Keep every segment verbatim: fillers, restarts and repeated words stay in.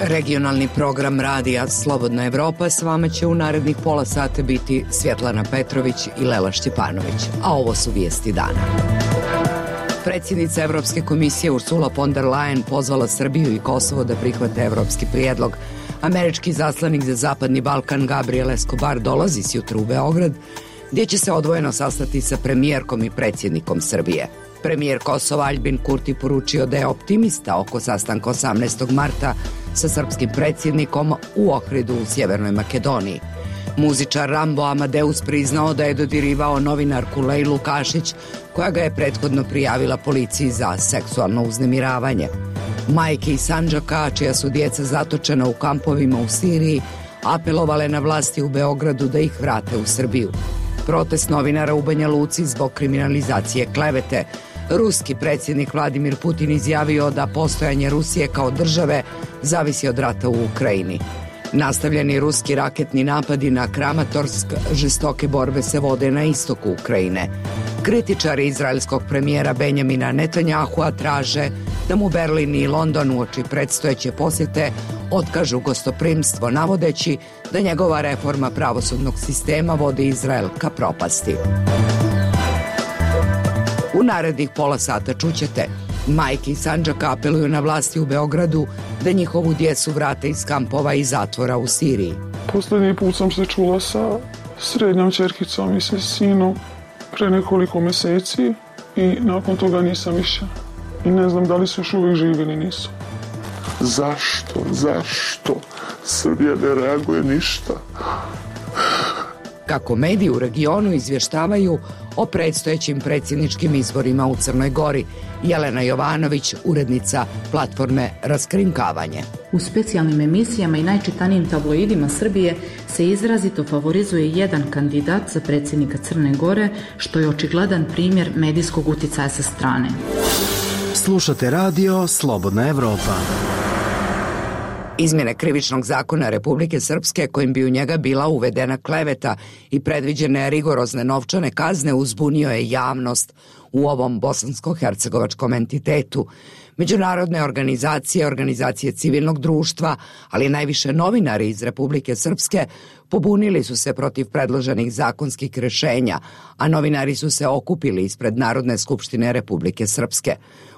Regionalni program radija Slobodna Evropa s vama će u narednih pola sata biti Svjetlana Petrović i Lela Šćepanović, a ovo su vijesti dana. Predsjednica Evropske komisije Ursula von der Leyen pozvala Srbiju i Kosovo da prihvate evropski prijedlog. Američki zaslanik za Zapadni Balkan Gabriel Escobar dolazi sjutra u Beograd, gdje će se odvojeno sastati sa premijerkom i predsjednikom Srbije. Premijer Kosova Aljbin Kurti poručio da je optimista oko sastanka osamnaestog marta sa srpskim predsjednikom u Ohridu u Sjevernoj Makedoniji. Muzičar Rambo Amadeus priznao da je dodirivao novinarku Lejlu Kašić, koja ga je prethodno prijavila policiji za seksualno uznemiravanje. Majke iz Sandžaka, čija su djeca zatočena u kampovima u Siriji, apelovale na vlasti u Beogradu da ih vrate u Srbiju. Protest novinara u Banja Luci zbog kriminalizacije klevete. Ruski predsjednik Vladimir Putin izjavio da postojanje Rusije kao države zavisi od rata u Ukrajini. Nastavljeni ruski raketni napadi na Kramatorsk, žestoke borbe se vode na istoku Ukrajine. Kritičari izraelskog premijera Benjamina Netanjahua traže da mu Berlin i London uoči predstojeće posjete otkažu gostoprimstvo, navodeći da njegova reforma pravosudnog sistema vodi Izrael ka propasti. U narednih pola sata čućete: majke iz Sandžaka apeluju na vlasti u Beogradu da njihovu djecu vrate iz kampova i zatvora u Siriji. Posljednji put sam se čula sa srednjom ćerkicom i sa sinom pre nekoliko mjeseci i nakon toga nisam više. I ne znam da li su još uvijek živi ili nisu. Zašto? Zašto? Srbija ne reaguje ništa. Kako mediji u regionu izvještavaju o predstojećim predsjedničkim izborima u Crnoj Gori, Jelena Jovanović, urednica platforme Raskrinkavanje. U specijalnim emisijama i najčitanijim tabloidima Srbije se izrazito favorizuje jedan kandidat za predsjednika Crne Gore, što je očigledan primjer medijskog uticaja sa strane. Slušate radio Slobodna Evropa. Izmjene krivičnog zakona Republike Srpske, kojim bi u njega bila uvedena kleveta i predviđene rigorozne novčane kazne, uzbunio je javnost u ovom bosansko-hercegovačkom entitetu. Međunarodne organizacije, organizacije civilnog društva, ali najviše novinari iz Republike Srpske pobunili su se protiv predloženih zakonskih rješenja, a novinari su se okupili ispred Narodne skupštine Republike Srpske.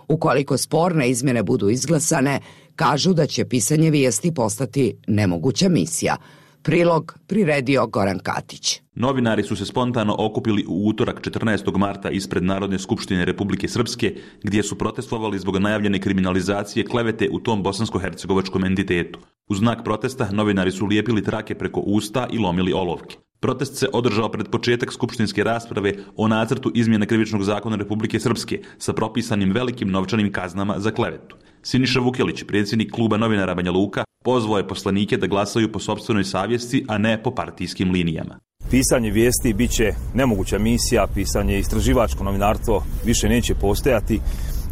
Ukoliko sporne izmjene budu izglasane, kažu da će pisanje vijesti postati nemoguća misija. Prilog priredio Goran Katić. Novinari su se spontano okupili u utorak četrnaestog marta ispred Narodne skupštine Republike Srpske, gdje su protestovali zbog najavljene kriminalizacije klevete u tom bosansko-hercegovačkom entitetu. U znak protesta novinari su lijepili trake preko usta i lomili olovke. Protest se održao pred početak skupštinske rasprave o nacrtu izmjene krivičnog zakona Republike Srpske sa propisanim velikim novčanim kaznama za klevetu. Siniša Vukelić, predsjednik kluba novinara Banja Luka, pozvao je poslanike da glasaju po sopstvenoj savjesti, a ne po partijskim linijama. Pisanje vijesti bit će nemoguća misija, pisanje istraživačko novinarstvo više neće postojati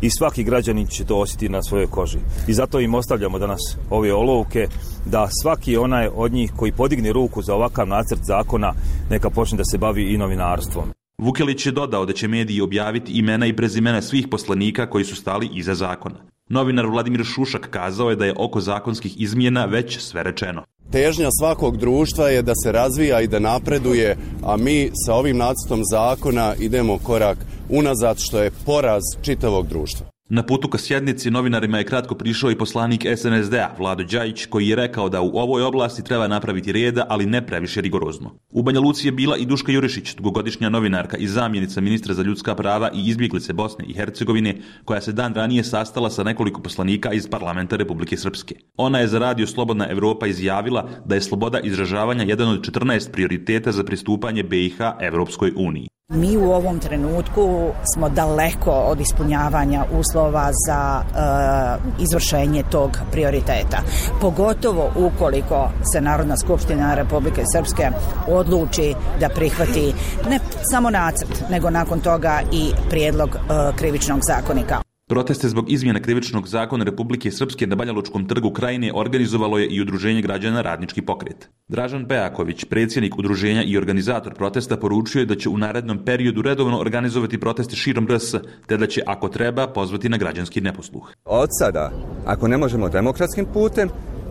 i svaki građanin će to osjetiti na svojoj koži. I zato im ostavljamo danas ove olovke da svaki onaj od njih koji podigne ruku za ovakav nacrt zakona neka počne da se bavi i novinarstvom. Vukelić je dodao da će mediji objaviti imena i prezimena svih poslanika koji su stali iza zakona. Novinar Vladimir Šušak kazao je da je oko zakonskih izmjena već sve rečeno. Težnja svakog društva je da se razvija i da napreduje, a mi sa ovim nacrtom zakona idemo korak unazad, što je poraz čitavog društva. Na putu ka sjednici novinarima je kratko prišao i poslanik S N S D-a Vlado Đajić, koji je rekao da u ovoj oblasti treba napraviti reda, ali ne previše rigorozno. U Banja Luci je bila i Duška Jurišić, dugogodišnja novinarka i zamjenica ministra za ljudska prava i izbjeglice Bosne i Hercegovine, koja se dan ranije sastala sa nekoliko poslanika iz parlamenta Republike Srpske. Ona je za radio Slobodna Evropa izjavila da je sloboda izražavanja jedan od četrnaest prioriteta za pristupanje B i H Evropskoj uniji. Mi u ovom trenutku smo daleko od ispunjavanja uslova za e, izvršenje tog prioriteta. Pogotovo ukoliko se Narodna skupština Republike Srpske odluči da prihvati ne samo nacrt, nego nakon toga i prijedlog e, krivičnog zakonika. Proteste zbog izmjena krivičnog zakona Republike Srpske na Banjalučkom trgu Krajine organizovalo je i Udruženje građana Radnički pokret. Dražan Pejaković, predsjednik udruženja i organizator protesta, poručio je da će u narednom periodu redovno organizovati proteste širom R S, te da će, ako treba, pozvati na građanski neposluh. Od sada, ako ne možemo demokratskim putem,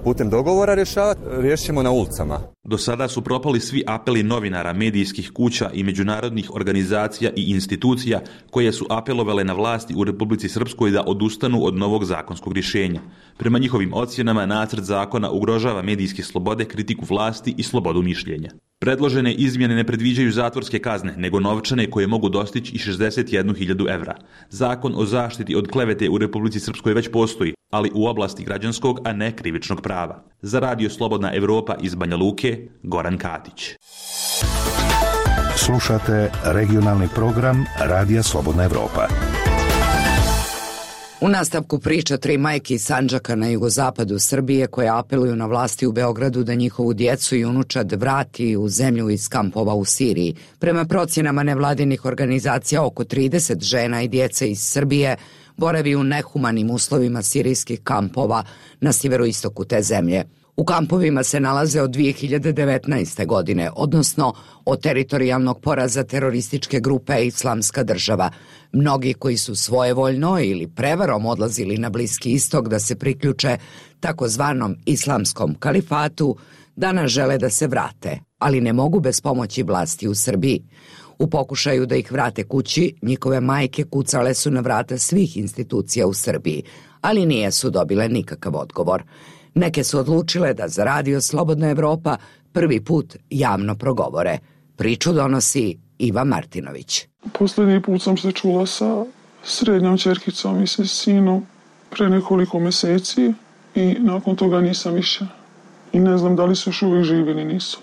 putem dogovora rješavati, riješit ćemo na ulicama. Do sada su propali svi apeli novinara, medijskih kuća i međunarodnih organizacija i institucija koje su apelovale na vlasti u Republici Srpskoj da odustanu od novog zakonskog rješenja. Prema njihovim ocjenama, nacrt zakona ugrožava medijske slobode, kritiku vlasti i slobodu mišljenja. Predložene izmjene ne predviđaju zatvorske kazne, nego novčane koje mogu dostići i šezdeset jednu hiljadu evra. Zakon o zaštiti od klevete u Republici Srpskoj već postoji, ali u oblasti građanskog, a ne krivičnog prava. Za Radio Slobodna Evropa iz Banja Luke, Goran Katić. Slušate regionalni program Radija Slobodna Evropa. U nastavku priča tri majke iz Sandžaka na jugozapadu Srbije koje apeluju na vlasti u Beogradu da njihovu djecu i unučad vrati u zemlju iz kampova u Siriji. Prema procjenama nevladinih organizacija, oko trideset žena i djece iz Srbije boravi u nehumanim uslovima sirijskih kampova na sjeveroistoku te zemlje. U kampovima se nalaze od dvije hiljade devetnaeste. godine, odnosno od teritorijalnog poraza terorističke grupe Islamska država. Mnogi koji su svojevoljno ili prevarom odlazili na Bliski istok da se priključe takozvanom islamskom kalifatu, danas žele da se vrate, ali ne mogu bez pomoći vlasti u Srbiji. U pokušaju da ih vrate kući, njihove majke kucale su na vrata svih institucija u Srbiji, ali nije su dobile nikakav odgovor. Neke su odlučile da za Radio Slobodna Evropa prvi put javno progovore. Priču donosi Iva Martinović. Posljednji put sam se čula sa srednjom ćerkicom i sa sinom pre nekoliko mjeseci i nakon toga nisam više. I ne znam da li su još uvijek živi ili nisu.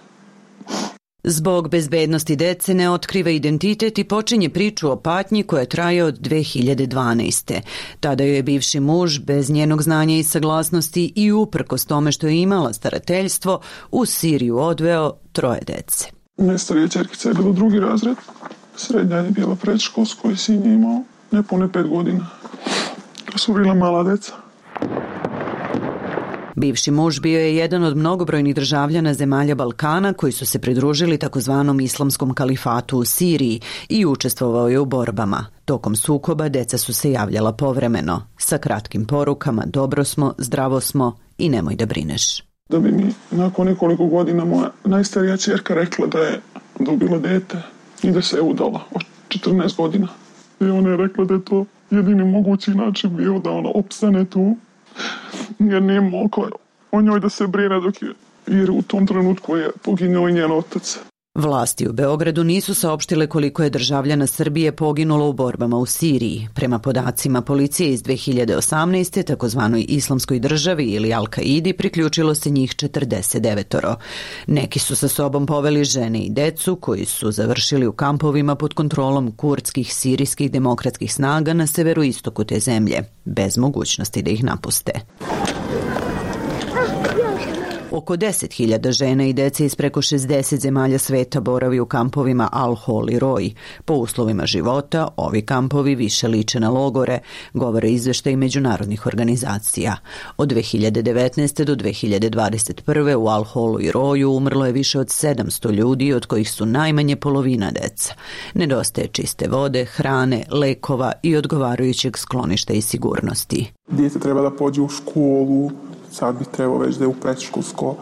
Zbog bezbednosti dece ne otkriva identitet i počinje priču o patnji koja traje od dve hiljade dvanaeste. Tada joj je bivši muž bez njenog znanja i saglasnosti i uprkos tome što je imala starateljstvo u Siriju odveo troje dece. Najstarija ćerkica je bila drugi razred, srednja je bila predškolsko i sin je imao nepune pet godina. To su bila mala deca. Bivši muž bio je jedan od mnogobrojnih državljana zemalja Balkana koji su se pridružili takozvanom islamskom kalifatu u Siriji i učestvovao je u borbama. Tokom sukoba deca su se javljala povremeno, sa kratkim porukama: dobro smo, zdravo smo i nemoj da brineš. Da bi mi nakon nekoliko godina moja najstarija ćerka rekla da je dobila dete i da se je udala od četrnaest godina. I ona je rekla da je to jedini mogući način bio da ona opstane tu, jer nije mogla o njoj da se brine dok je, jer u tom trenutku je poginuo i njen otac. Vlasti u Beogradu nisu saopštile koliko je državljana Srbije poginulo u borbama u Siriji. Prema podacima policije iz dve hiljade osamnaeste. takozvanoj islamskoj državi ili Al-Kaidi priključilo se njih četrdeset devet. Neki su sa sobom poveli žene i decu koji su završili u kampovima pod kontrolom kurdskih sirijskih demokratskih snaga na severoistoku te zemlje, bez mogućnosti da ih napuste. Oko deset hiljada žena i dece iz preko šezdeset zemalja sveta boravi u kampovima Al-Hol i Roj. Po uslovima života, ovi kampovi više liče na logore, govore izveštaji međunarodnih organizacija. Od dve hiljade devetnaeste. do dve hiljade dvadeset prve. u Al-Holu i Roju umrlo je više od sedamsto ljudi, od kojih su najmanje polovina deca. Nedostaje čiste vode, hrane, lekova i odgovarajućeg skloništa i sigurnosti. Dijete treba da pođe u školu, sad bi trebao već da je u predškolsko,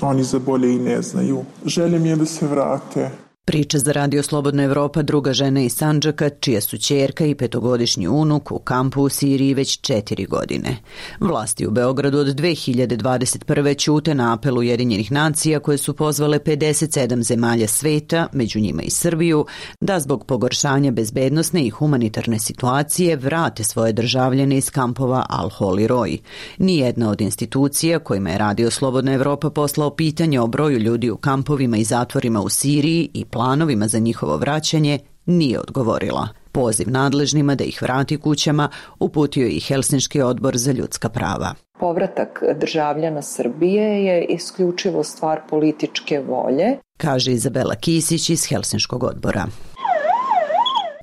oni za bolje i ne znaju. Želje mi je da se vrate. Priča za Radio Slobodna Evropa druga žena iz Sandžaka, čija su ćerka i petogodišnji unuk u kampu u Siriji već četiri godine. Vlasti u Beogradu od dve hiljade dvadeset prve. ćute na apel Ujedinjenih nacija koje su pozvale pedeset sedam zemalja sveta, među njima i Srbiju, da zbog pogoršanja bezbednosne i humanitarne situacije vrate svoje državljane iz kampova Al-Hol i Roj. Nijedna od institucija kojima je Radio Slobodna Evropa poslao pitanje o broju ljudi u kampovima i zatvorima u Siriji i planovima za njihovo vraćanje nije odgovorila. Poziv nadležnima da ih vrati kućama uputio i Helsinški odbor za ljudska prava. Povratak državljana Srbije je isključivo stvar političke volje, kaže Izabela Kisić iz Helsinškog odbora.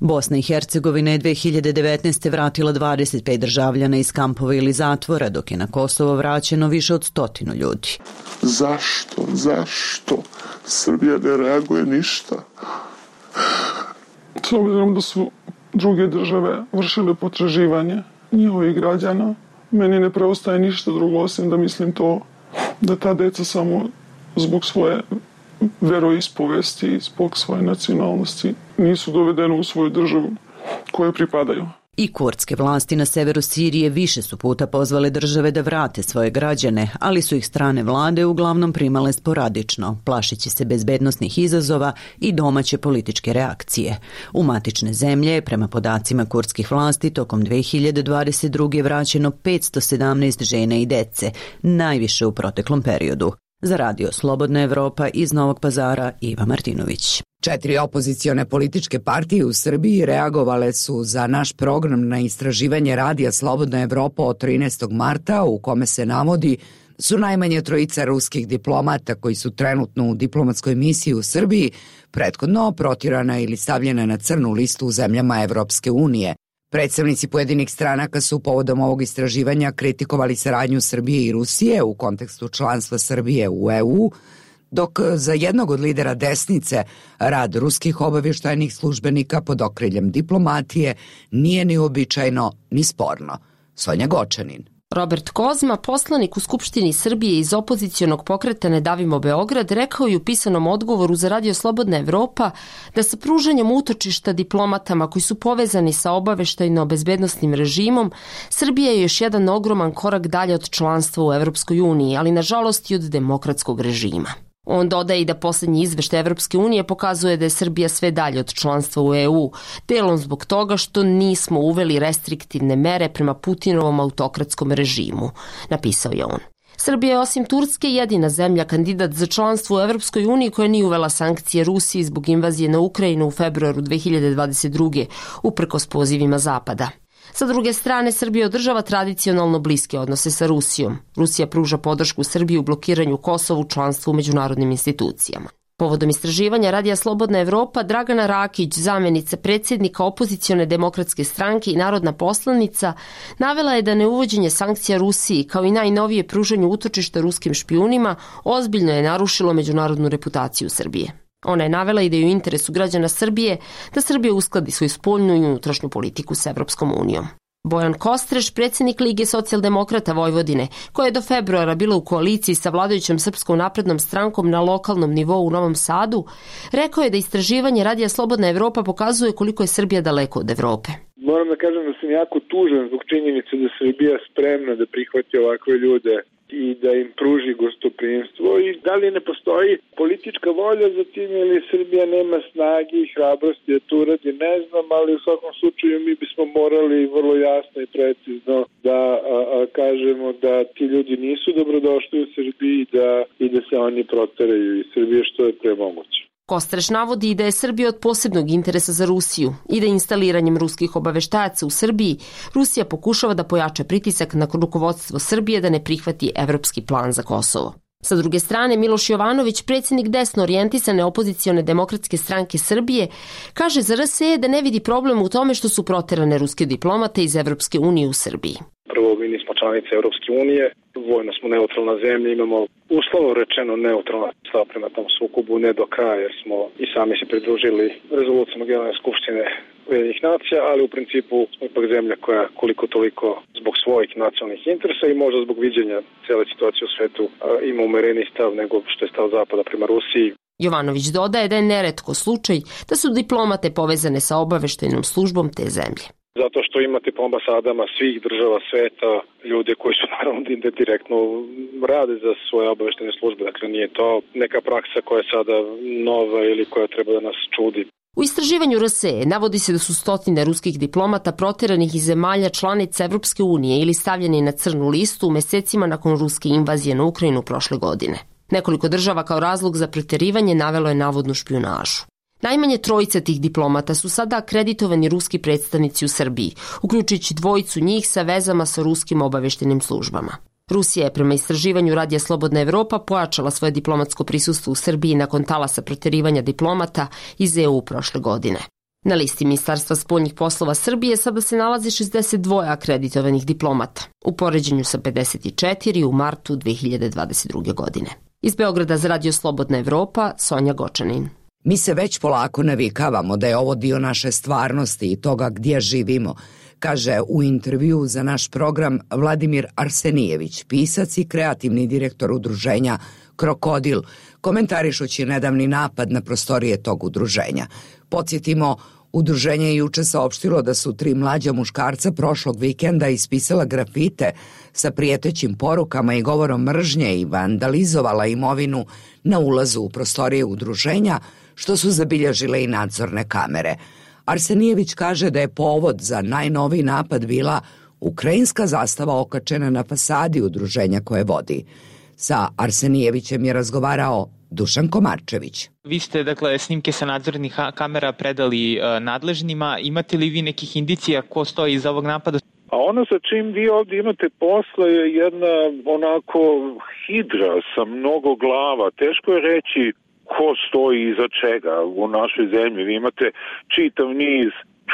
Bosna i Hercegovina je dve hiljade devetnaeste. vratila dvadeset pet državljana iz kampova ili zatvora, dok je na Kosovo vraćeno više od stotinu ljudi. Zašto, zašto Srbija ne reaguje ništa? S obzirom da su druge države vršile potraživanje njihovih građana, meni ne preostaje ništa drugo osim da mislim to da ta deca samo zbog svoje veroispovesti, zbog svoje nacionalnosti nisu dovedene u svoju državu kojoj pripadaju. I kurdske vlasti na severu Sirije više su puta pozvale države da vrate svoje građane, ali su ih strane vlade uglavnom primale sporadično, plašeći se bezbednosnih izazova i domaće političke reakcije. U matične zemlje, prema podacima kurdskih vlasti, tokom dve hiljade dvadeset druge vraćeno petsto sedamnaest žena i dece, najviše u proteklom periodu. Za radio Slobodna Evropa iz Novog Pazara, Iva Martinović. Četiri opozicione političke partije u Srbiji reagovale su za naš program na istraživanje radija Slobodna Evropa od trinaestog marta, u kome se navodi su najmanje trojica ruskih diplomata koji su trenutno u diplomatskoj misiji u Srbiji prethodno protjerana ili stavljena na crnu listu u zemljama Evropske unije. Predstavnici pojedinih stranaka su povodom ovog istraživanja kritikovali saradnju Srbije i Rusije u kontekstu članstva Srbije u E U, dok za jednog od lidera desnice rad ruskih obavještajnih službenika pod okriljem diplomatije nije ni uobičajeno ni sporno. Sonja Gočanin. Robert Kozma, poslanik u Skupštini Srbije iz opozicionog pokreta Ne davimo Beograd, rekao je u pisanom odgovoru za radio Slobodna Evropa da sa pružanjem utočišta diplomatama koji su povezani sa obaveštajno-bezbednosnim režimom, Srbija je još jedan ogroman korak dalje od članstva u Evropskoj uniji, ali nažalost i od demokratskog režima. On dodaje i da posljednji izveštaj Evropske unije pokazuje da je Srbija sve dalje od članstva u E U, delom zbog toga što nismo uveli restriktivne mere prema Putinovom autokratskom režimu, napisao je on. Srbija je osim Turske jedina zemlja kandidat za članstvo u Evropskoj uniji koja nije uvela sankcije Rusiji zbog invazije na Ukrajinu u februaru dve hiljade dvadeset druge, uprkos pozivima Zapada. Sa druge strane, Srbija održava tradicionalno bliske odnose sa Rusijom. Rusija pruža podršku Srbiji u blokiranju Kosova u članstvu u međunarodnim institucijama. Povodom istraživanja radija Slobodna Evropa, Dragana Rakić, zamenica predsjednika opozicione demokratske stranke i narodna poslanica, navela je da neuvođenje sankcija Rusiji kao i najnovije pružanje utočišta ruskim špijunima ozbiljno je narušilo međunarodnu reputaciju Srbije. Ona je navela i da je u interesu građana Srbije da Srbija uskladi svoju spoljnu i unutrašnju politiku s Evropskom unijom. Bojan Kostreš, predsjednik Lige socijaldemokrata Vojvodine, koja je do februara bila u koaliciji sa vladajućom Srpskom naprednom strankom na lokalnom nivou u Novom Sadu, rekao je da istraživanje radija Slobodna Evropa pokazuje koliko je Srbija daleko od Evrope. Moram da kažem da sam jako tužan zbog činjenice da Srbija spremna da prihvati ovakve ljude i da im pruži gostoprimstvo i da li ne postoji politička volja za tim ili Srbija nema snage i hrabrosti da to uradi, ne znam, ali u svakom slučaju mi bismo morali vrlo jasno i precizno da a, a, kažemo da ti ljudi nisu dobrodošli u Srbiji i da, i da se oni proteraju iz Srbije što je pre moguće. Kostreš navodi i da je Srbija od posebnog interesa za Rusiju i da instaliranjem ruskih obaveštajaca u Srbiji Rusija pokušava da pojača pritisak na rukovodstvo Srbije da ne prihvati evropski plan za Kosovo. Sa druge strane, Miloš Jovanović, predsjednik desno orijentisane opozicione demokratske stranke Srbije, kaže za R S E da ne vidi problem u tome što su proterane ruske diplomate iz Evropske unije u Srbiji. Prvo, mi nismo članice Evropske unije, vojno smo neutralna zemlja, imamo uslovno rečeno neutralna stav prema tom sukobu, ne do kraja jer smo i sami se pridružili rezolucijama Generalne skupštine Ujedinjenih nacija, ali u principu smo ipak zemlja koja koliko toliko zbog svojih nacionalnih interesa i možda zbog viđenja cijele situacije u svetu ima umereniji stav nego što je stav Zapada prema Rusiji. Jovanović dodaje da je neretko slučaj da su diplomate povezane sa obaveštajnom službom te zemlje. Zato što imate po ambasadama svih država sveta ljude koji su naravno direktno rade za svoje obaveštajne službe. Dakle, nije to neka praksa koja je sada nova ili koja treba da nas čudi. U istraživanju R S E navodi se da su stotine ruskih diplomata proteranih iz zemalja članica Evropske unije ili stavljeni na crnu listu u mesecima nakon ruske invazije na Ukrajinu prošle godine. Nekoliko država kao razlog za proterivanje navelo je navodnu špijunažu. Najmanje trojica tih diplomata su sada akreditovani ruski predstavnici u Srbiji, uključujući dvojicu njih sa vezama sa ruskim obaveštenim službama. Rusija je prema istraživanju radija Slobodna Evropa pojačala svoje diplomatsko prisustvo u Srbiji nakon talasa proterivanja diplomata iz E U prošle godine. Na listi Ministarstva spoljnih poslova Srbije sada se nalazi šezdeset dva akreditovanih diplomata, u poređenju sa pedeset četiri u martu dve hiljade dvadeset druge. godine. Iz Beograda za radio Slobodna Evropa, Sonja Gočanin. Mi se već polako navikavamo da je ovo dio naše stvarnosti i toga gdje živimo, kaže u intervju za naš program Vladimir Arsenijević, pisac i kreativni direktor udruženja Krokodil, komentarišući nedavni napad na prostorije tog udruženja. Podsjetimo, udruženje je juče saopštilo da su tri mlađa muškarca prošlog vikenda ispisala grafite sa prijetećim porukama i govorom mržnje i vandalizovala imovinu na ulazu u prostorije udruženja, što su zabilježile i nadzorne kamere. Arsenijević kaže da je povod za najnoviji napad bila ukrajinska zastava okačena na fasadi udruženja koje vodi. Sa Arsenijevićem je razgovarao Dušan Komarčević. Vi ste, dakle, snimke sa nadzornih kamera predali e, nadležnima. Imate li vi nekih indicija ko stoji iza ovog napada? A ono sa čim vi ovdje imate posla je jedna onako hidra sa mnogo glava. Teško je reći ko stoji iza čega u našoj zemlji. Vi imate čitav niz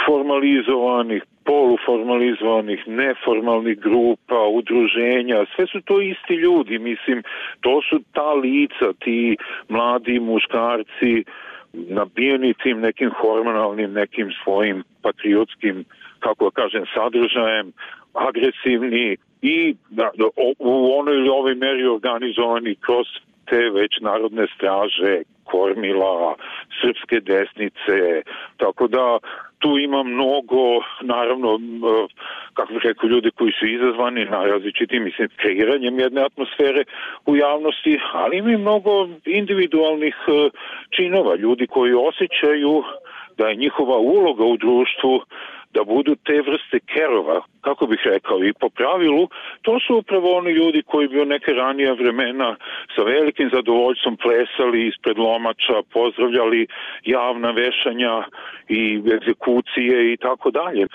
formalizovanih, poluformalizovanih, neformalnih grupa, udruženja, sve su to isti ljudi, mislim, to su ta lica, ti mladi muškarci, nabijeni tim nekim hormonalnim, nekim svojim patriotskim, kako da kažem, sadržajem, agresivni i da, da, u onoj ili ovoj meri organizovani kroz te već narodne straže, kormila, srpske desnice, tako da tu ima mnogo, naravno, kako bih rekao, ljudi koji su izazvani na različitim, mislim, kreiranjem jedne atmosfere u javnosti, ali ima i mnogo individualnih činova, ljudi koji osjećaju da je njihova uloga u društvu da budu te vrste kerova, kako bih rekao, i po pravilu, to su upravo oni ljudi koji bi u neke ranija vremena sa velikim zadovoljstvom plesali ispred lomača, pozdravljali javna vešanja i egzekucije i tako dalje.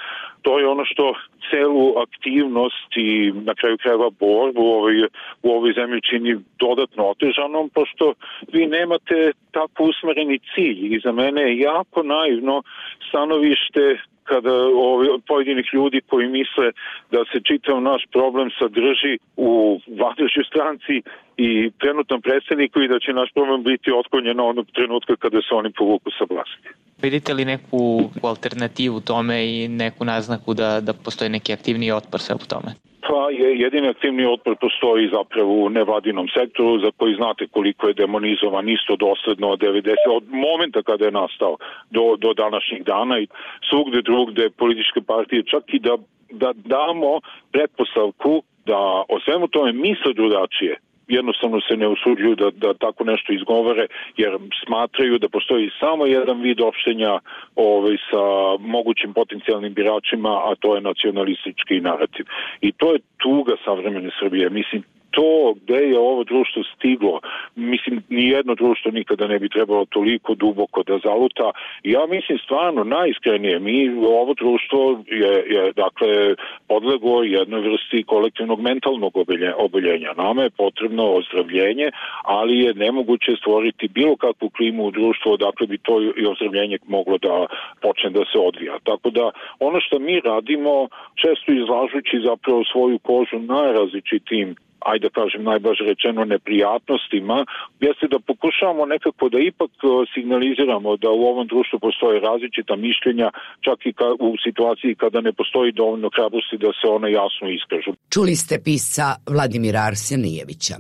To je ono što celu aktivnost i na kraju krajeva borbu u ovoj, u ovoj zemlji čini dodatno otežanom, pošto vi nemate tako usmereni cilj i za mene je jako naivno stanovište kada ovi, pojedinih ljudi koji misle da se čitav naš problem sadrži u vladajućoj stranci i trenutnom predsjedniku i da će naš problem biti otklonjen na onog trenutka kada se oni povuku sa vlasti. Vidite li neku alternativu tome i neku naznaku da, da postoji neki aktivniji otpor sve u tome? Pa je, jedini aktivni otpor postoji zapravo u nevladinom sektoru za koji znate koliko je demonizovan isto dosledno od devedesetih od momenta kada je nastao do, do današnjih dana i svugde drugde političke partije, čak i da, da damo pretpostavku da o svemu tome misle drugačije, jednostavno se ne usuđuju da, da tako nešto izgovore jer smatraju da postoji samo jedan vid opštenja ovaj, sa mogućim potencijalnim biračima, a to je nacionalistički narativ. I to je tuga savremene Srbije. Mislim, to gde je ovo društvo stiglo, mislim, nijedno društvo nikada ne bi trebalo toliko duboko da zaluta. Ja mislim stvarno najiskrenije, mi ovo društvo je, je dakle podleglo jednoj vrsti kolektivnog mentalnog oboljenja. Nama je potrebno ozdravljenje, ali je nemoguće stvoriti bilo kakvu klimu u društvu odakle bi to i ozdravljenje moglo da počne da se odvija. Tako da ono što mi radimo, često izlažući zapravo svoju kožu najrazličitijim, ajde da kažem najbaže rečeno, neprijatnostima, jeste da pokušavamo nekako da ipak signaliziramo da u ovom društvu postoje različita mišljenja, čak i ka, u situaciji kada ne postoji dovoljno hrabrosti da se ona jasno iskažu. Čuli ste pisca Vladimira Arsenijevića.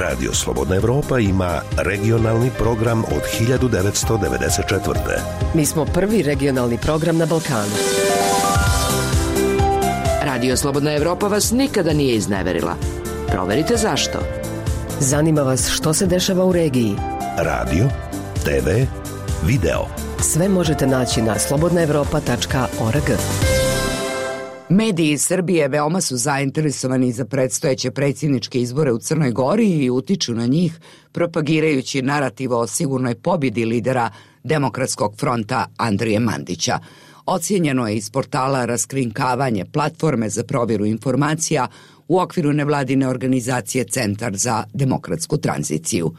Radio Slobodna Evropa ima regionalni program od hiljadu devetsto devedeset četvrte. Mi smo prvi regionalni program na Balkanu. Radio Slobodna Evropa vas nikada nije izneverila. Proverite zašto. Zanima vas što se dešava u regiji. Radio, te ve, video. Sve možete naći na slobodna evropa tačka org. Mediji iz Srbije veoma su zainteresovani za predstojeće predsjedničke izbore u Crnoj Gori i utiču na njih propagirajući narativ o sigurnoj pobjedi lidera Demokratskog fronta Andrije Mandića. Ocijenjeno je iz portala Raskrinkavanje, platforme za provjeru informacija u okviru nevladine organizacije Centar za demokratsku tranziciju.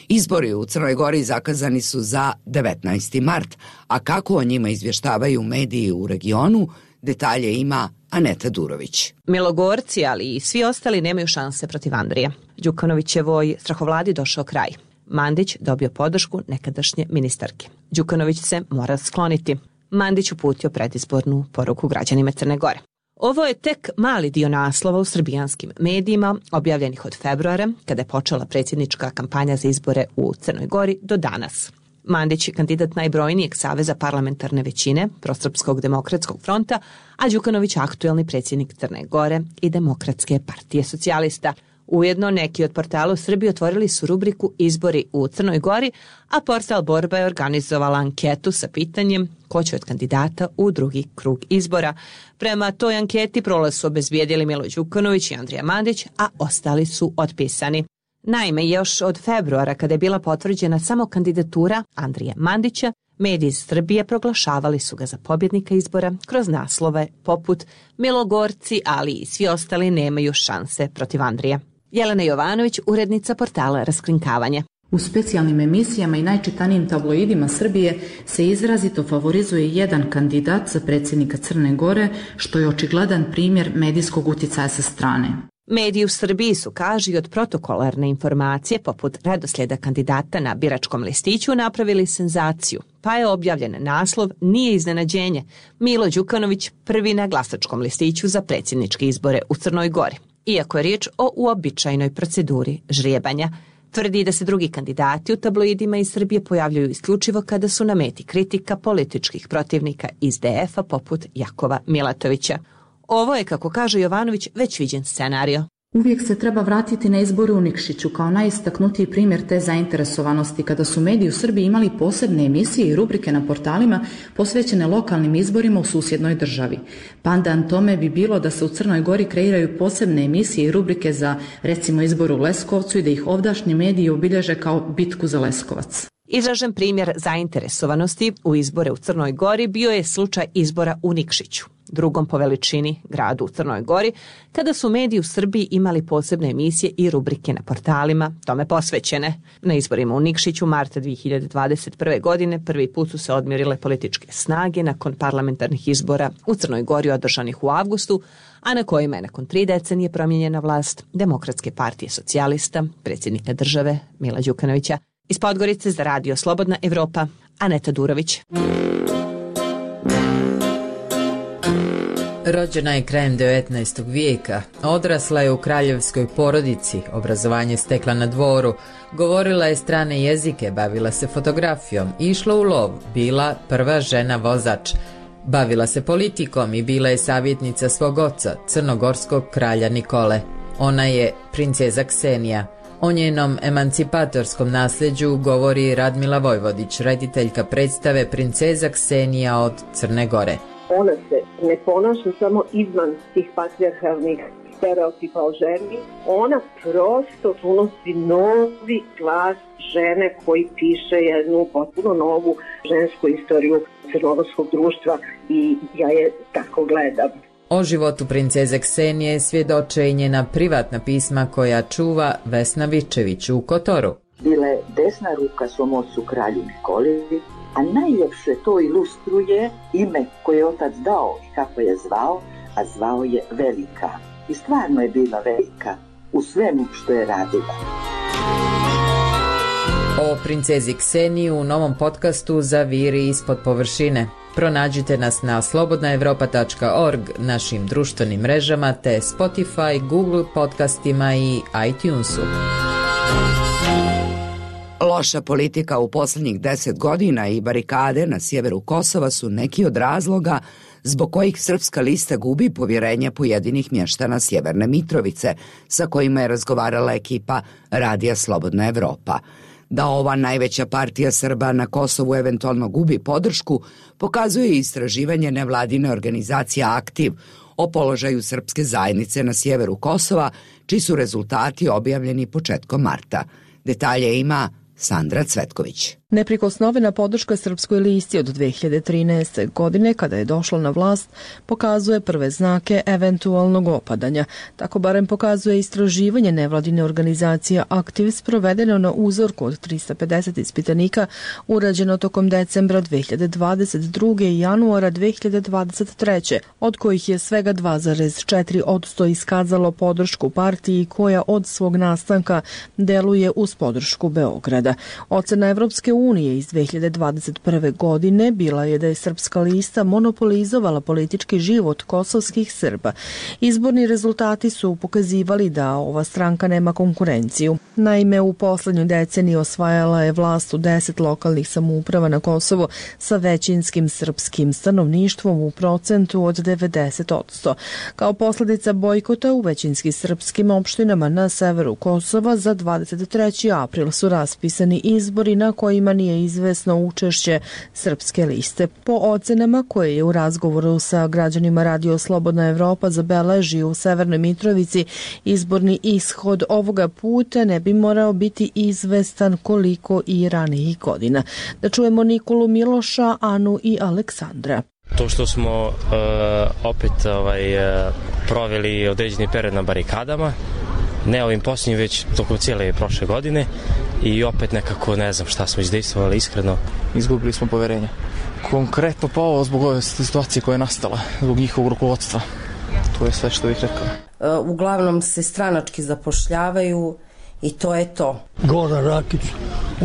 Izbori u Crnoj Gori zakazani su za devetnaesti mart, a kako o njima izvještavaju mediji u regionu, detalje ima Aneta Durović. Milogorci, ali i svi ostali nemaju šanse protiv Andrije. Đukanovićevoj strahovladi došao kraj. Mandić dobio podršku nekadašnje ministarke. Đukanović se mora skloniti. Mandić uputio predizbornu poruku građanima Crne Gore. Ovo je tek mali dio naslova u srbijanskim medijima, objavljenih od februara, kada je počela predsjednička kampanja za izbore u Crnoj Gori, do danas. Mandić je kandidat najbrojnijeg saveza parlamentarne većine, Prosrpskog demokratskog fronta, a Đukanović aktuelni predsjednik Crne Gore i Demokratske partije socijalista. Ujedno, neki od portala u Srbiji otvorili su rubriku Izbori u Crnoj Gori, a portal Borba je organizovala anketu sa pitanjem ko će od kandidata u drugi krug izbora. Prema toj anketi prolaz su obezbijedili Milo Đukanović i Andrija Mandić, a ostali su otpisani. Naime, još od februara, kada je bila potvrđena samo kandidatura Andrije Mandića, mediji iz Srbije proglašavali su ga za pobjednika izbora kroz naslove poput Milogorci, ali i svi ostali nemaju šanse protiv Andrije. Jelena Jovanović, urednica portala Raskrinkavanje. U specijalnim emisijama i najčitanijim tabloidima Srbije se izrazito favorizuje jedan kandidat za predsjednika Crne Gore, što je očigledan primjer medijskog uticaja sa strane. Mediji u Srbiji su, kaži, od protokolarne informacije poput redoslijeda kandidata na biračkom listiću napravili senzaciju, pa je objavljen naslov Nije iznenađenje, Milo Đukanović prvi na glasačkom listiću za predsjedničke izbore u Crnoj Gori. Iako je riječ o uobičajenoj proceduri žrijebanja, tvrdi da se drugi kandidati u tabloidima iz Srbije pojavljuju isključivo kada su na meti kritika političkih protivnika iz D F-a poput Jakova Milatovića. Ovo je, kako kaže Jovanović, već viđen scenario. Uvijek se treba vratiti na izbore u Nikšiću kao najistaknutiji primjer te zainteresovanosti kada su mediji u Srbiji imali posebne emisije i rubrike na portalima posvećene lokalnim izborima u susjednoj državi. Pandan tome bi bilo da se u Crnoj Gori kreiraju posebne emisije i rubrike za, recimo, izbor u Leskovcu i da ih ovdašnji mediji obilježe kao bitku za Leskovac. Izražen primjer zainteresovanosti u izbore u Crnoj Gori bio je slučaj izbora u Nikšiću, drugom po veličini gradu u Crnoj Gori, kada su mediji u Srbiji imali posebne emisije i rubrike na portalima tome posvećene. Na izborima u Nikšiću marta dvije hiljade dvadeset prve. godine prvi put su se odmjerile političke snage nakon parlamentarnih izbora u Crnoj Gori održanih u avgustu, a na kojima je nakon tri decenije promijenjena vlast Demokratske partije socijalista, predsjednika države Mila Đukanovića. Iz Podgorice za Radio Slobodna Evropa, Aneta Durović. Rođena je krajem devetnaestog vijeka, odrasla je u kraljevskoj porodici, obrazovanje stekla na dvoru, govorila je strane jezike, bavila se fotografijom, išla u lov, bila prva žena vozač, bavila se politikom i bila je savjetnica svog oca, crnogorskog kralja Nikole. Ona je princeza Ksenija. O njenom emancipatorskom nasljeđu govori Radmila Vojvodić, rediteljka predstave Princeza Ksenija od Crne Gore. Ona se ne ponaša samo izvan tih patrijarhalnih stereotipa o ženi, ona prosto unosi novi glas žene koji piše jednu potpuno novu žensku istoriju crnogorskog društva i ja je tako gledam. O životu princeze Ksenije svjedoče i njena privatna pisma koja čuva Vesna Vičević u Kotoru. Bila je desna ruka svom ocu kralju Nikoli, a najljepše to ilustruje ime koje je otac dao i kako je zvao, a zvao je Velika. I stvarno je bila velika u svemu što je radila. O princezi Kseniji u novom podcastu Zaviri ispod površine. Pronađite nas na slobodna evropa tačka org, našim društvenim mrežama te Spotify, Google podcastima i iTunesu. Loša politika u posljednjih deset godina i barikade na sjeveru Kosova su neki od razloga zbog kojih Srpska lista gubi povjerenje pojedinih mještana Sjeverne Mitrovice, sa kojima je razgovarala ekipa Radija Slobodna Evropa. Da ova najveća partija Srba na Kosovu eventualno gubi podršku, pokazuje istraživanje nevladine organizacije Aktiv o položaju srpske zajednice na sjeveru Kosova, čiji su rezultati objavljeni početkom marta. Detalje ima Sandra Cvetković. Neprikosnovena podrška Srpskoj listi od dve hiljade trinaeste. godine, kada je došla na vlast, pokazuje prve znake eventualnog opadanja. Tako barem pokazuje istraživanje nevladine organizacije Aktiv sprovedeno na uzorku od trista pedeset ispitanika, urađeno tokom decembra dve hiljade dvadeset druge. i januara dve hiljade dvadeset treće. od kojih je svega dva zarez četiri posto iskazalo podršku partiji koja od svog nastanka deluje uz podršku Beograda. Ocena Evropske unije iz dve hiljade dvadeset prve godine bila je da je Srpska lista monopolizovala politički život kosovskih Srba. Izborni rezultati su pokazivali da ova stranka nema konkurenciju. Naime, u poslednjoj deceniji osvajala je vlast u deset lokalnih samouprava na Kosovo sa većinskim srpskim stanovništvom u procentu od devedeset posto. Kao posledica bojkota u većinski srpskim opštinama na severu Kosova za dvadeset treći april su raspisani izbori na kojima nije izvesno učešće Srpske liste. Po ocenama koje je u razgovoru sa građanima Radio Slobodna Evropa zabeleži u Severnoj Mitrovici, izborni ishod ovoga puta ne bi morao biti izvestan koliko i ranijih godina. Da čujemo Nikolu Miloša, Anu i Aleksandra. To što smo uh, opet ovaj, uh, proveli određeni period na barikadama, ne ovim posljednjim, već tokom cijele prošle godine i opet nekako ne znam šta smo izdejstvovali iskreno. Izgubili smo poverenje. Konkretno pa ovo zbog ove situacije koja je nastala, zbog njihovog rukovodstva. To je sve što bih rekao. Uh, uglavnom se stranački zapošljavaju i to je to. Goran Rakić,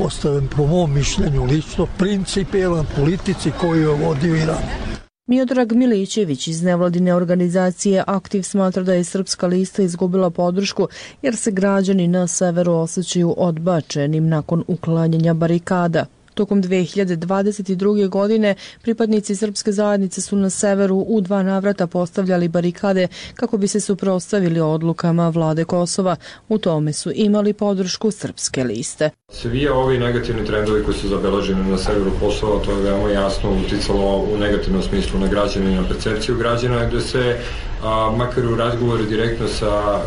ostavim po mom mišljenju lično, principijelan politici koju je vodio Iran. Miodrag Milićević iz nevladine organizacije Aktiv smatra da je Srpska lista izgubila podršku jer se građani na severu osjećaju odbačenim nakon uklanjanja barikada. Tokom dve hiljade dvadeset druge. godine pripadnici srpske zajednice su na severu u dva navrata postavljali barikade kako bi se suprotstavili odlukama vlade Kosova. U tome su imali podršku Srpske liste. Svi ovi negativni trendovi koji su zabeleženi na severu Kosova, to je veoma jasno uticalo u negativnom smislu na građane i na percepciju građana, gde se a, makar u razgovoru direktno sa a,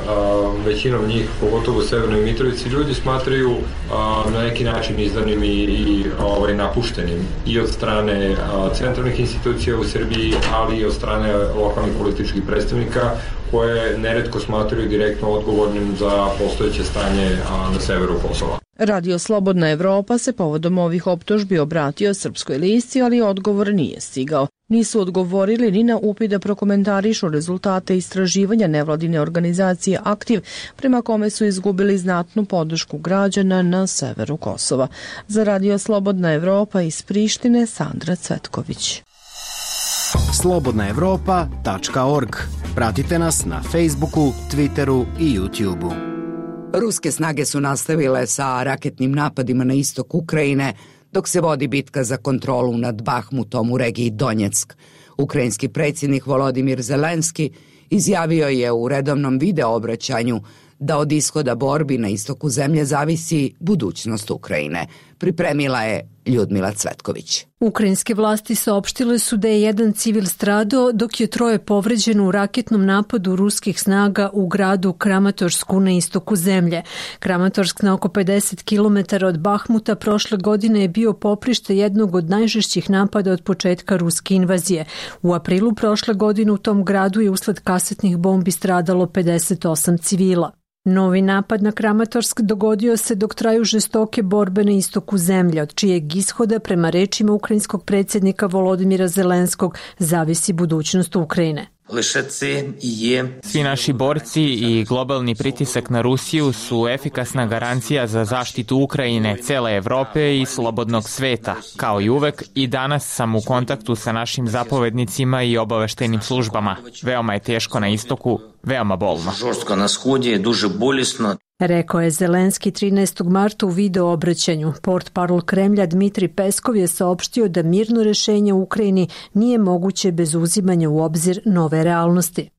većinom njih, pogotovo u Severnoj Mitrovici, ljudi smatraju a, na neki način izdanim i, i ovaj, napuštenim i od strane a, centralnih institucija u Srbiji, ali i od strane lokalnih političkih predstavnika koje neretko smatraju direktno odgovornim za postojeće stanje a, na severu Kosova. Radio Slobodna Evropa se povodom ovih optužbi obratio Srpskoj listi, ali odgovor nije stigao. Nisu odgovorili ni na upit da prokomentarišu rezultate istraživanja nevladine organizacije Aktiv, prema kome su izgubili znatnu podršku građana na severu Kosova. Za Radio Slobodna Evropa iz Prištine, Sandra Cvetković. slobodna evropa tačka org. Pratite nas na Facebooku, Twitteru i YouTubeu. Ruske snage su nastavile sa raketnim napadima na istok Ukrajine, dok se vodi bitka za kontrolu nad Bahmutom u regiji Donjeck. Ukrajinski predsjednik Volodimir Zelenski izjavio je u redovnom video obraćanju da od ishoda borbi na istoku zemlje zavisi budućnost Ukrajine. Pripremila je Ljudmila Cvetković. Ukrajinske vlasti saopštile su da je jedan civil stradao, dok je troje povređeno u raketnom napadu ruskih snaga u gradu Kramatorsku na istoku zemlje. Kramatorsk na oko pedeset kilometara od Bahmuta prošle godine je bio poprište jednog od najžešćih napada od početka ruske invazije. U aprilu prošle godine u tom gradu je usled kasetnih bombi stradalo pedeset osam civila. Novi napad na Kramatorsk dogodio se dok traju žestoke borbe na istoku zemlje, od čijeg ishoda, prema rečima ukrajinskog predsjednika Volodimira Zelenskog, zavisi budućnost Ukrajine. Svi naši borci i globalni pritisak na Rusiju su efikasna garancija za zaštitu Ukrajine, cele Evrope i slobodnog sveta. Kao i uvek, i danas sam u kontaktu sa našim zapovednicima i obaveštajnim službama. Veoma je teško na istoku, veoma bolno. Rekao je Zelenski trinaestog marta u video obraćanju. Portparol Kremlja Dmitri Peskov je saopštio da mirno rešenje u Ukrajini nije moguće bez uzimanja u obzir nove realnosti.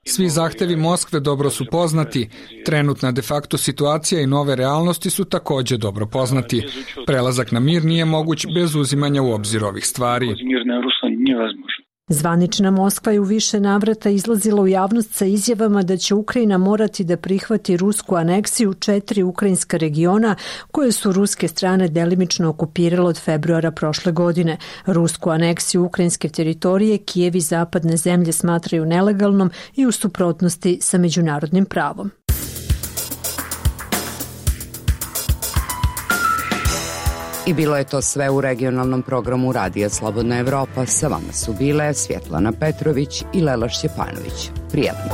Svi zahtevi Moskve dobro su poznati. Trenutna de facto situacija i nove realnosti su takođe dobro poznati. Prelazak na mir nije moguć bez uzimanja u obzir ovih stvari. Zvanična Moskva je u više navrata izlazila u javnost sa izjavama da će Ukrajina morati da prihvati rusku aneksiju četiri ukrajinska regiona koje su ruske strane delimično okupirale od februara prošle godine. Rusku aneksiju ukrajinske teritorije Kijev i zapadne zemlje smatraju nelegalnom i u suprotnosti sa međunarodnim pravom. I bilo je to sve u regionalnom programu Radija Slobodna Evropa. Sa vama su bile Svjetlana Petrović i Lela Šćepanović. Prijatno.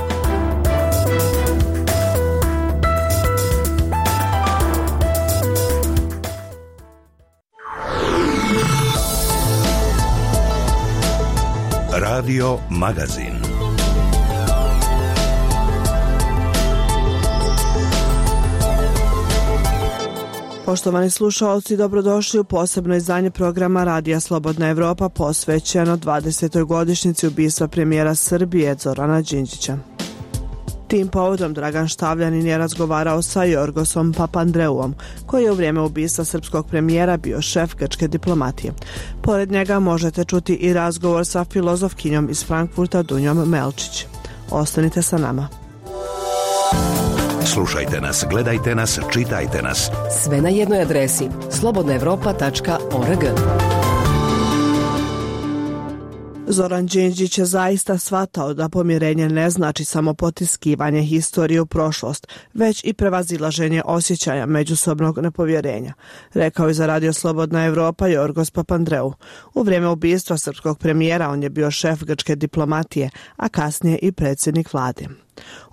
Radio Magazin. Poštovani slušalci, dobrodošli u posebno izdanje programa Radija Slobodna Evropa posvećeno dvadesetoj godišnjici ubistva premijera Srbije Zorana Đinđića. Tim povodom Dragan Štavljanin je razgovarao sa Jorgosom Papandreuom, koji je u vrijeme ubistva srpskog premijera bio šef grčke diplomatije. Pored njega možete čuti i razgovor sa filozofkinjom iz Frankfurta Dunjom Melčić. Ostanite sa nama. Slušajte nas, gledajte nas, čitajte nas. Sve na jednoj adresi slobodna evropa tačka org. Zoran Đinđić je zaista shvatao da pomirenje ne znači samo potiskivanje historije u prošlost, već i prevazilaženje osjećaja međusobnog nepovjerenja, rekao je za Radio Slobodna Evropa Jorgos Papandreou. U vrijeme ubistva srpskog premijera on je bio šef grčke diplomatije, a kasnije i predsjednik vlade.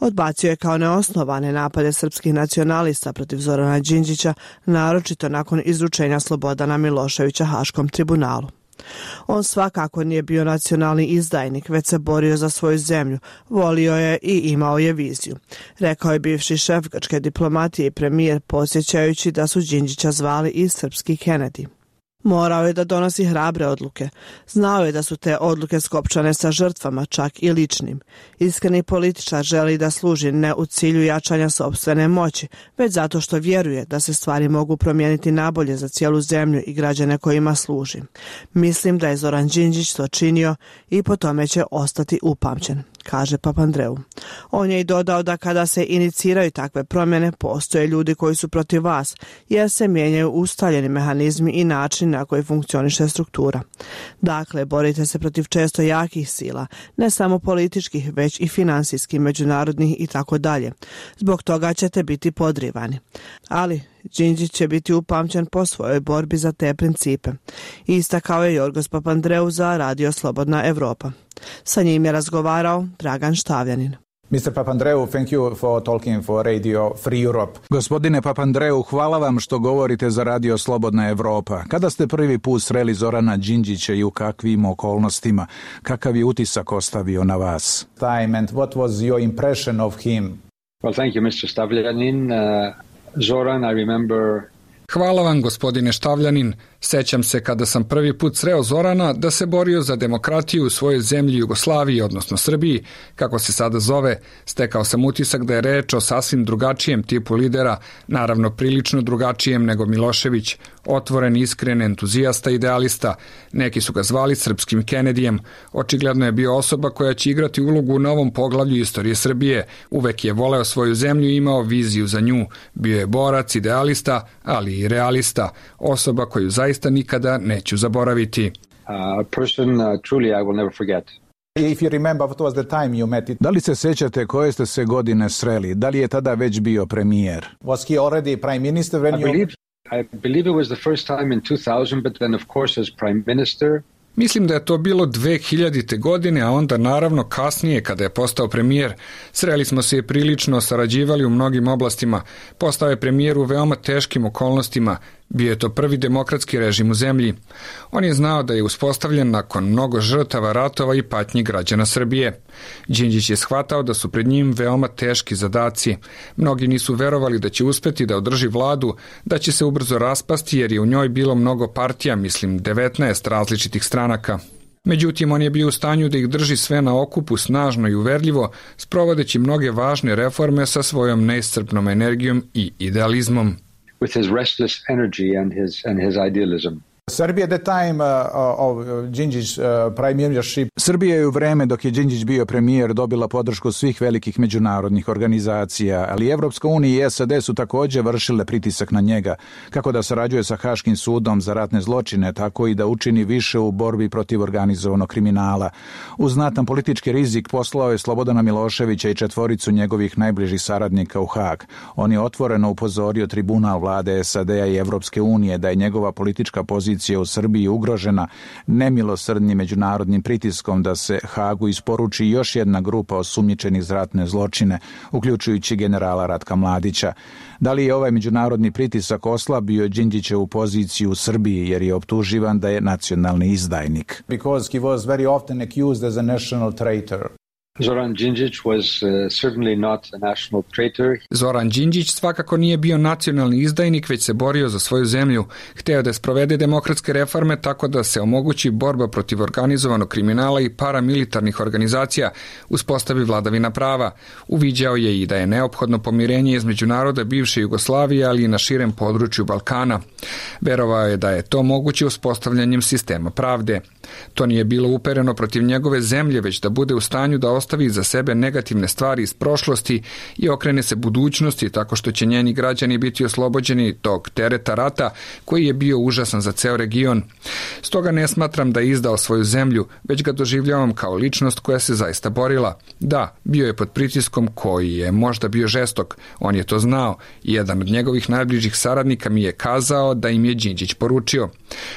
Odbacio je kao neosnovane napade srpskih nacionalista protiv Zorana Đinđića, naročito nakon izručenja Slobodana Miloševića Haškom tribunalu. On svakako nije bio nacionalni izdajnik, već se borio za svoju zemlju, volio je i imao je viziju, rekao je bivši šef grčke diplomatije i premijer, podsjećajući da su Đinđića zvali i srpski Kennedy. Morao je da donosi hrabre odluke. Znao je da su te odluke skopčane sa žrtvama, čak i ličnim. Iskreni političar želi da služi ne u cilju jačanja sopstvene moći, već zato što vjeruje da se stvari mogu promijeniti nabolje za cijelu zemlju i građane kojima služi. Mislim da je Zoran Đinđić to činio i po tome će ostati upamćen, kaže Papandreou. On je i dodao da kada se iniciraju takve promjene, postoje ljudi koji su protiv vas, jer se mijenjaju ustaljeni mehanizmi i način na koji funkcioniše struktura. Dakle, borite se protiv često jakih sila, ne samo političkih, već i finansijskih, međunarodnih i tako dalje. Zbog toga ćete biti podrivani. Ali Đinđić će biti upamćen po svojoj borbi za te principe. Istakao je Jorgos Papandreou za Radio Slobodna Evropa. Sa njim je razgovarao Dragan Štavljanin. mister Papandreou, thank you for talking for Radio Free Europe. Gospodine Papandreou, hvala vam što govorite za Radio Slobodna Evropa. Kada ste prvi put sreli Zorana Đinđića i u kakvim okolnostima? Kakav je utisak ostavio na vas? Time and what was your impression of him? Well, thank you, mister Stavljanin. Uh, Zoran, I remember... Hvala vam, gospodine Štavljanin. Sećam se kada sam prvi put sreo Zorana da se borio za demokratiju u svojoj zemlji Jugoslaviji, odnosno Srbiji, kako se sada zove. Stekao sam utisak da je reč o sasvim drugačijem tipu lidera, naravno prilično drugačijem nego Milošević, otvoren, iskren, entuzijasta, idealista. Neki su ga zvali srpskim Kennedyjem. Očigledno je bio osoba koja će igrati ulogu u novom poglavlju istorije Srbije. Uvek je voleo svoju zemlju i imao viziju za nju. Bio je borac, idealista, ali i realista. Osoba koju zaista nikada neću zaboraviti. A person uh, truly I will never forget. If you remember what was the time you met it. Da li se sećate koje ste se godine sreli? Da li je tada već bio premijer? Was he already prime minister when I you... believe, I believe it was the first time in two thousand, but then of course as prime minister. Mislim da je to bilo dve hiljadite. godine, a onda naravno kasnije kada je postao premijer. Sreli smo se i prilično sarađivali u mnogim oblastima. Postao je premijer u veoma teškim okolnostima. Bio je to prvi demokratski režim u zemlji. On je znao da je uspostavljen nakon mnogo žrtava, ratova i patnji građana Srbije. Đinđić je shvatao da su pred njim veoma teški zadaci. Mnogi nisu verovali da će uspeti da održi vladu, da će se ubrzo raspasti jer je u njoj bilo mnogo partija, mislim devetnaest različitih stranaka. Međutim, on je bio u stanju da ih drži sve na okupu snažno i uverljivo, sprovodeći mnoge važne reforme sa svojom neiscrpnom energijom i idealizmom. With his restless energy and his and his idealism. Serbia at the time uh, of Đinđić uh, premiership. Srbija je u vreme dok je Đinđić bio premijer dobila podršku svih velikih međunarodnih organizacija, ali Evropska unija i S A D su također vršile pritisak na njega, kako da sarađuje sa Haškim sudom za ratne zločine, tako i da učini više u borbi protiv organizovanog kriminala. Uz znatan politički rizik poslao je Slobodana Miloševića i četvoricu njegovih najbližih saradnika u Hag. On je otvoreno upozorio tribunal vlade S A D-a i Evropske unije da je njegova politička pozicija opozicija u Srbiji ugrožena nemilosrdnim međunarodnim pritiskom da se Hagu isporuči još jedna grupa osumnjičenih za ratne zločine, uključujući generala Ratka Mladića. Da li je ovaj međunarodni pritisak oslabio Đinđićevu poziciju u Srbiji jer je optuživan da je nacionalni izdajnik? Because he was very often accused as a national traitor. Zoran Đinđić was uh, certainly not a national traitor. Zoran Đinđić svakako nije bio nacionalni izdajnik, već se borio za svoju zemlju. Hteo da sprovede demokratske reforme tako da se omogući borba protiv organizovanog kriminala i paramilitarnih organizacija, uspostavi vladavina prava. Uviđao je i da je neophodno pomirenje između naroda bivše Jugoslavije, ali i na širem području Balkana. Verovao je da je to moguće uspostavljanjem sistema pravde. To nije bilo upereno protiv njegove zemlje, već da bude u stanju da ostavi za sebe negativne stvari iz prošlosti i okrene se budućnosti tako što će njeni građani biti oslobođeni tog tereta rata koji je bio užasan za ceo region. Stoga ne smatram da je izdao svoju zemlju, već ga doživljavam kao ličnost koja se zaista borila. Da, bio je pod pritiskom koji je možda bio žestok, on je to znao i jedan od njegovih najbližih saradnika mi je kazao da im je Đinđić poručio: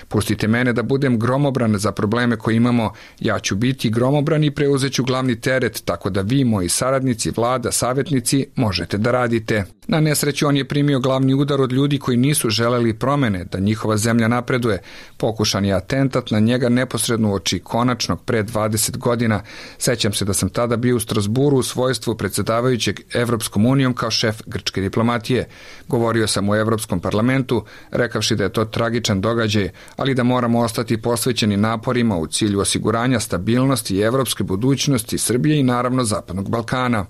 pustite mene da budem gromobran za probleme koje imamo, ja ću biti gromobran i preuzeću glavni teret, tako da vi, moji saradnici, vlada, savjetnici, možete da radite. Na nesreću on je primio glavni udar od ljudi koji nisu želeli promene, da njihova zemlja napreduje. Pokušan je atentat na njega neposredno uoči konačnog pre dvadeset godina. Sećam se da sam tada bio u Strasburu u svojstvu predsjedavajućeg Evropskom unijom kao šef grčke diplomatije. Govorio sam u Evropskom parlamentu, rekavši da je to tragičan događaj, ali da moramo ostati posvećeni naporima u cilju osiguranja stabilnosti i evropske budućnosti Srbije i naravno Zapadnog Balkana.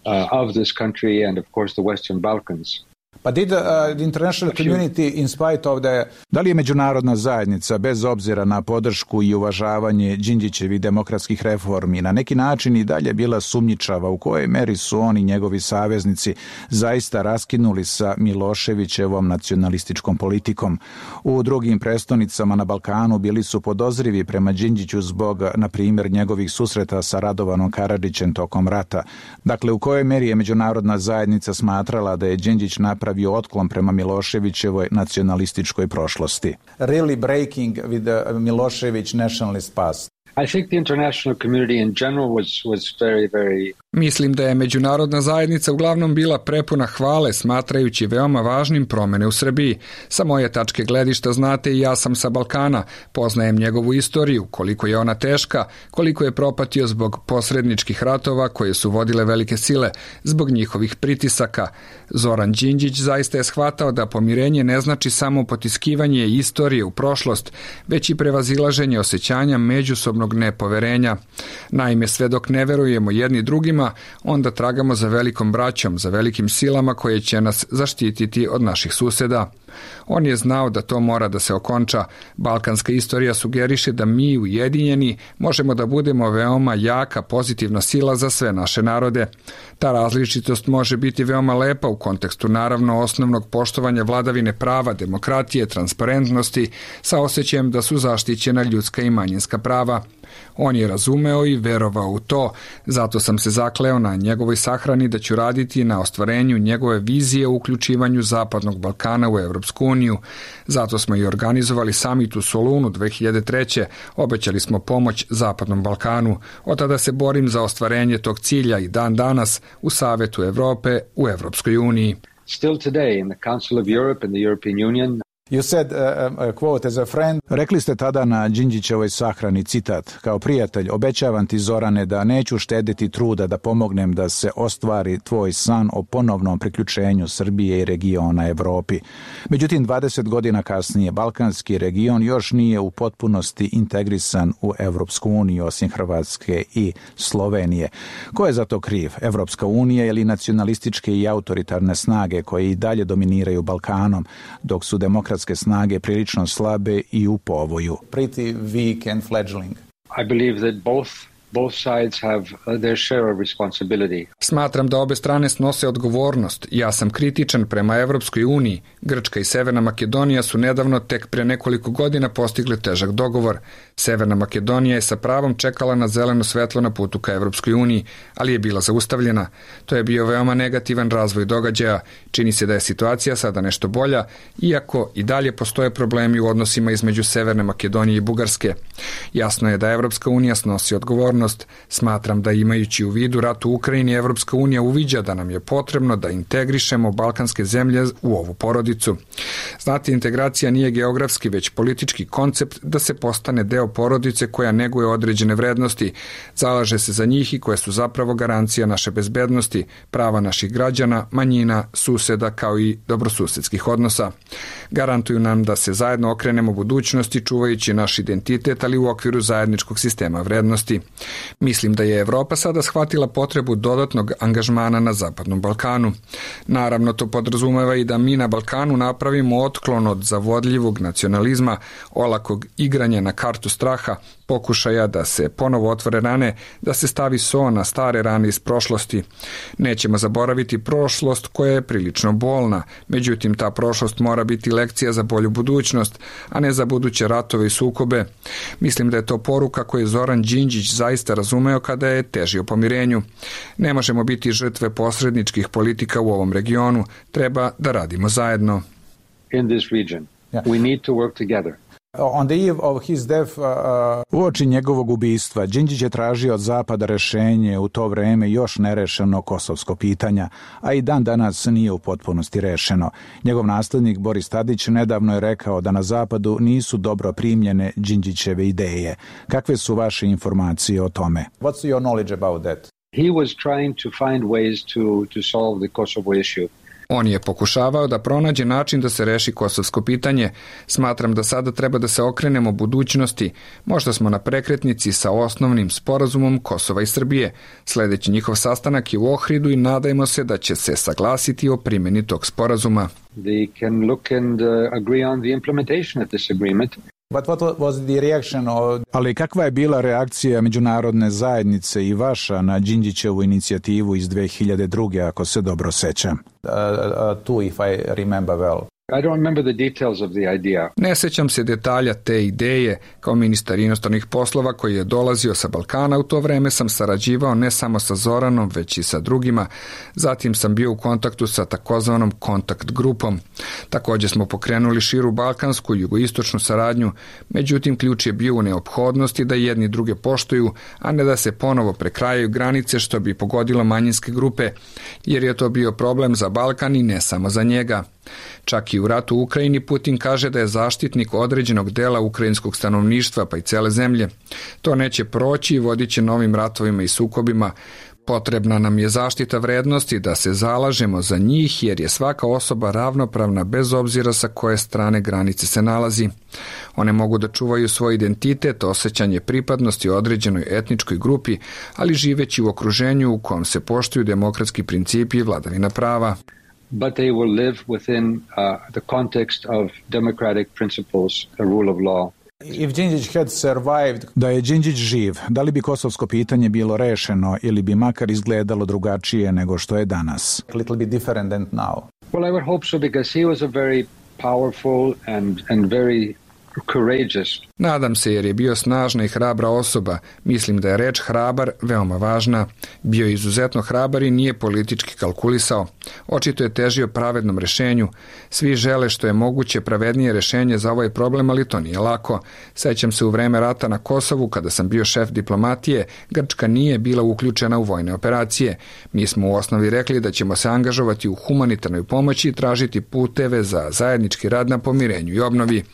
Uh, of this country and of course the Western Balkans. But did uh, the international community, in spite of the... Da li je međunarodna zajednica, bez obzira na podršku i uvažavanje Đinđićevih demokratskih reformi, na neki način i dalje bila sumnjičava u kojoj meri su oni, njegovi saveznici, zaista raskinuli sa Miloševićevom nacionalističkom politikom? U drugim prestonicama na Balkanu bili su podozrivi prema Đinđiću zbog, na primjer, njegovih susreta sa Radovanom Karadžićem tokom rata. Dakle, u kojoj meri je međunarodna zajednica smatrala da je Đinđić napravio otklon prema Miloševićevoj nacionalističkoj prošlosti? Really breaking with the Milošević nationalist past. I think the international community in general was was very very Mislim da je međunarodna zajednica uglavnom bila prepuna hvale, smatrajući veoma važnim promene u Srbiji. Sa moje tačke gledišta znate i ja sam sa Balkana, poznajem njegovu istoriju, koliko je ona teška, koliko je propatio zbog posredničkih ratova koje su vodile velike sile, zbog njihovih pritisaka. Zoran Đinđić zaista je shvatao da pomirenje ne znači samo potiskivanje istorije u prošlost, već i prevazilaženje osjećanja međusobnog nepoverenja. Naime, sve dok ne verujemo jedni drugima, onda tragamo za velikom braćom, za velikim silama koje će nas zaštititi od naših suseda. On je znao da to mora da se okonča. Balkanska istorija sugeriše da mi, ujedinjeni, možemo da budemo veoma jaka, pozitivna sila za sve naše narode. Ta različitost može biti veoma lepa u kontekstu naravno osnovnog poštovanja vladavine prava, demokratije, transparentnosti, sa osjećajem da su zaštićena ljudska i manjinska prava. On je razumeo i verovao u to, zato sam se zakleo na njegovoj sahrani da ću raditi na ostvarenju njegove vizije o uključivanju Zapadnog Balkana u Evropsku uniju. Zato smo i organizovali samit u Solunu dve hiljade treće. Obećali smo pomoć Zapadnom Balkanu. Od tada se borim za ostvarenje tog cilja i dan danas u Savetu Evrope u Evropskoj uniji. Still today in the Council of Europe and the European Union. You said, uh, a quote, as a friend... Rekli ste tada na Đinđićevoj sahrani, citat: kao prijatelj, obećavam ti, Zorane, da neću štediti truda da pomognem da se ostvari tvoj san o ponovnom priključenju Srbije i regiona Evropi. Međutim, dvadeset godina kasnije, balkanski region još nije u potpunosti integrisan u Evropsku uniju, osim Hrvatske i Slovenije. Ko je za to kriv? Evropska unija ili nacionalističke i autoritarne snage koje i dalje dominiraju Balkanom, dok su demokratske snage prilično slabe i u povoju? Pretty weak and fledgling. I believe that both Both sides have their share of responsibility. Smatram da obe strane snose odgovornost. Ja sam kritičan prema Evropskoj uniji. Grčka i Severna Makedonija su nedavno tek pre nekoliko godina postigli težak dogovor. Severna Makedonija je sa pravom čekala na zeleno svetlo na putu ka Evropskoj uniji, ali je bila zaustavljena. To je bio veoma negativan razvoj događaja. Čini se da je situacija sada nešto bolja, iako i dalje postoje problemi u odnosima između Severne Makedonije i Bugarske. Jasno je da Evropska unija snosi odgovornost. Smatram da imajući u vidu rat u Ukrajini, Evropska unija uviđa da nam je potrebno da integrišemo balkanske zemlje u ovu porodicu. Znate, integracija nije geografski, već politički koncept da se postane deo porodice koja neguje određene vrednosti, zalaže se za njih i koje su zapravo garancija naše bezbednosti, prava naših građana, manjina, suseda kao i dobrosusedskih odnosa. Garantuju nam da se zajedno okrenemo budućnosti čuvajući naš identitet, ali u okviru zajedničkog sistema vrednosti. Mislim da je Evropa sada shvatila potrebu dodatnog angažmana na Zapadnom Balkanu. Naravno, to podrazumeva i da mi na Balkanu napravimo otklon od zavodljivog nacionalizma, olakog igranja na kartu straha, pokušaja da se ponovo otvore rane, da se stavi so na stare rane iz prošlosti. Nećemo zaboraviti prošlost koja je prilično bolna, međutim ta prošlost mora biti lekcija za bolju budućnost, a ne za buduće ratove i sukobe. Mislim da je to poruka koju je Zoran Đinđić zaista razumeo kada je težio pomirenju. Ne možemo biti žrtve posredničkih politika u ovom regionu, treba da radimo zajedno. In this region, we need to work together. On the eve of his death, uh, Uoči njegovog ubistva, Đinđić je tražio od Zapada rešenje u to vreme još nerešeno kosovsko pitanja, a i dan danas nije u potpunosti rešeno. Njegov naslednik Boris Tadić nedavno je rekao da na Zapadu nisu dobro primljene Đinđićeve ideje. Kakve su vaše informacije o tome? What's your knowledge about that? He was trying to find ways to, to solve the Kosovo issue. On je pokušavao da pronađe način da se reši kosovsko pitanje. Smatram da sada treba da se okrenemo budućnosti. Možda smo na prekretnici sa osnovnim sporazumom Kosova i Srbije. Sledeći njihov sastanak je u Ohridu i nadajmo se da će se saglasiti o primjeni tog sporazuma. They can look and uh, agree on the implementation of this agreement. But what was the reaction of... Ali kakva je bila reakcija međunarodne zajednice i vaša na Đinđićevu inicijativu iz dve hiljade druge. ako se dobro sećam? Uh, uh, two, if I remember well. I don't remember the details of the idea. Ne sećam se detalja te ideje. Kao ministar inostranih poslova koji je dolazio sa Balkana, u to vreme sam sarađivao ne samo sa Zoranom, već i sa drugima. Zatim sam bio u kontaktu sa takozvanom kontakt grupom. Također smo pokrenuli širu balkansku i jugoistočnu saradnju, međutim ključ je bio u neophodnosti da jedni druge poštuju, a ne da se ponovo prekrajaju granice što bi pogodilo manjinske grupe, jer je to bio problem za Balkan i ne samo za njega. Čak i u ratu u Ukrajini Putin kaže da je zaštitnik određenog dela ukrajinskog stanovništva pa i cele zemlje. To neće proći i vodit će novim ratovima i sukobima. Potrebna nam je zaštita vrednosti da se zalažemo za njih jer je svaka osoba ravnopravna bez obzira sa koje strane granice se nalazi. One mogu da čuvaju svoj identitet, osjećanje pripadnosti određenoj etničkoj grupi, ali živeći u okruženju u kom se poštuju demokratski principi i vladavina prava. But they will live within uh, the context of democratic principles, the rule of law. If Đinđić had survived... Da je Đinđić živ, da li bi kosovsko pitanje bilo rešeno ili bi makar izgledalo drugačije nego što je danas? A little bit different than now. Well, I would hope so because he was a very powerful and, and very courageous. Nadam se jer je bio snažna i hrabra osoba. Mislim da je reč hrabar veoma važna. Bio je izuzetno hrabar i nije politički kalkulisao. Očito je težio pravednom rešenju. Svi žele što je moguće pravednije rešenje za ovaj problem, ali to nije lako. Sećam se u vreme rata na Kosovu, kada sam bio šef diplomatije, Grčka nije bila uključena u vojne operacije. Mi smo u osnovi rekli da ćemo se angažovati u humanitarnoj pomoći i tražiti puteve za zajednički rad na pomirenju i obnovi.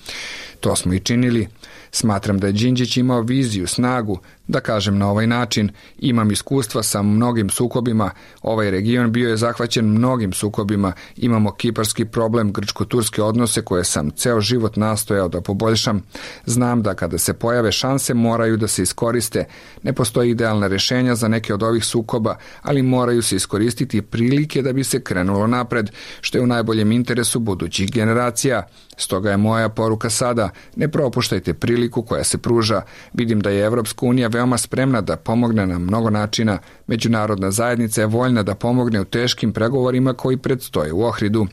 To smo i činili. Smatram da je Đinđić imao viziju, snagu, da kažem na ovaj način, imam iskustva sa mnogim sukobima, ovaj region bio je zahvaćen mnogim sukobima, imamo kiparski problem, grčko-turske odnose koje sam ceo život nastojao da poboljšam. Znam da kada se pojave šanse moraju da se iskoriste. Ne postoji idealna rešenja za neke od ovih sukoba, ali moraju se iskoristiti prilike da bi se krenulo napred, što je u najboljem interesu budućih generacija. Stoga je moja poruka sada, ne propuštajte priliku koja se pruža. Vidim da je Evropska unija veoma veoma spremna da pomogne na mnogo načina. Međunarodna zajednica je voljna da pomogne u teškim pregovorima koji predstoje u Ohridu.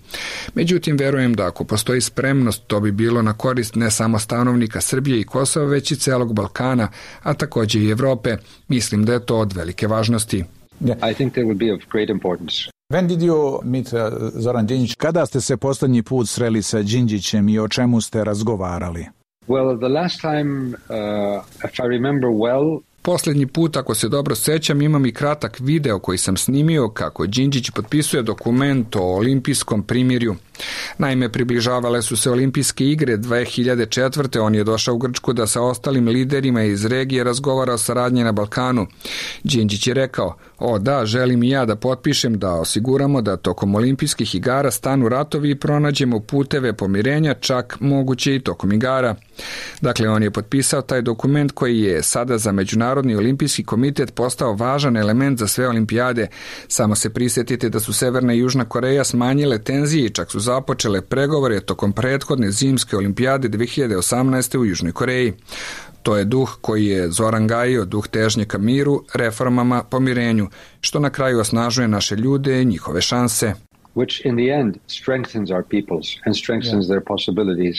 Međutim, verujem da ako postoji spremnost, to bi bilo na korist ne samo stanovnika Srbije i Kosova, već i celog Balkana, a također i Evrope. Mislim da je to od velike važnosti. I think that would be of great importance. When did you meet uh, Zoran Đinđić? Kada ste se posljednji put sreli sa Đinđićem i o čemu ste razgovarali? Well, the last time, uh, if I remember well, Posljednji put, ako se dobro sećam, imam i kratak video koji sam snimio kako Đinđić potpisuje dokument o olimpijskom primirju. Naime, približavale su se olimpijske igre dve hiljade četvrte. On je došao u Grčku da sa ostalim liderima iz regije razgovara o saradnji na Balkanu. Đinđić je rekao, o da, želim i ja da potpišem da osiguramo da tokom olimpijskih igara stanu ratovi i pronađemo puteve pomirenja, čak moguće i tokom igara. Dakle, on je potpisao taj dokument koji je sada za Međunarodni olimpijski komitet postao važan element za sve olimpijade. Samo se prisjetite da su Severna i Južna Koreja smanjile tenzije i čak su započele pregovore tokom prethodne zimske olimpijade dve hiljade osamnaeste. u Južnoj Koreji. To je duh koji je Zoran gajio, duh težnje ka miru, reformama, pomirenju, što na kraju osnažuje naše ljude i njihove šanse. Which in the end strengthens our peoples and strengthens yeah. their possibilities.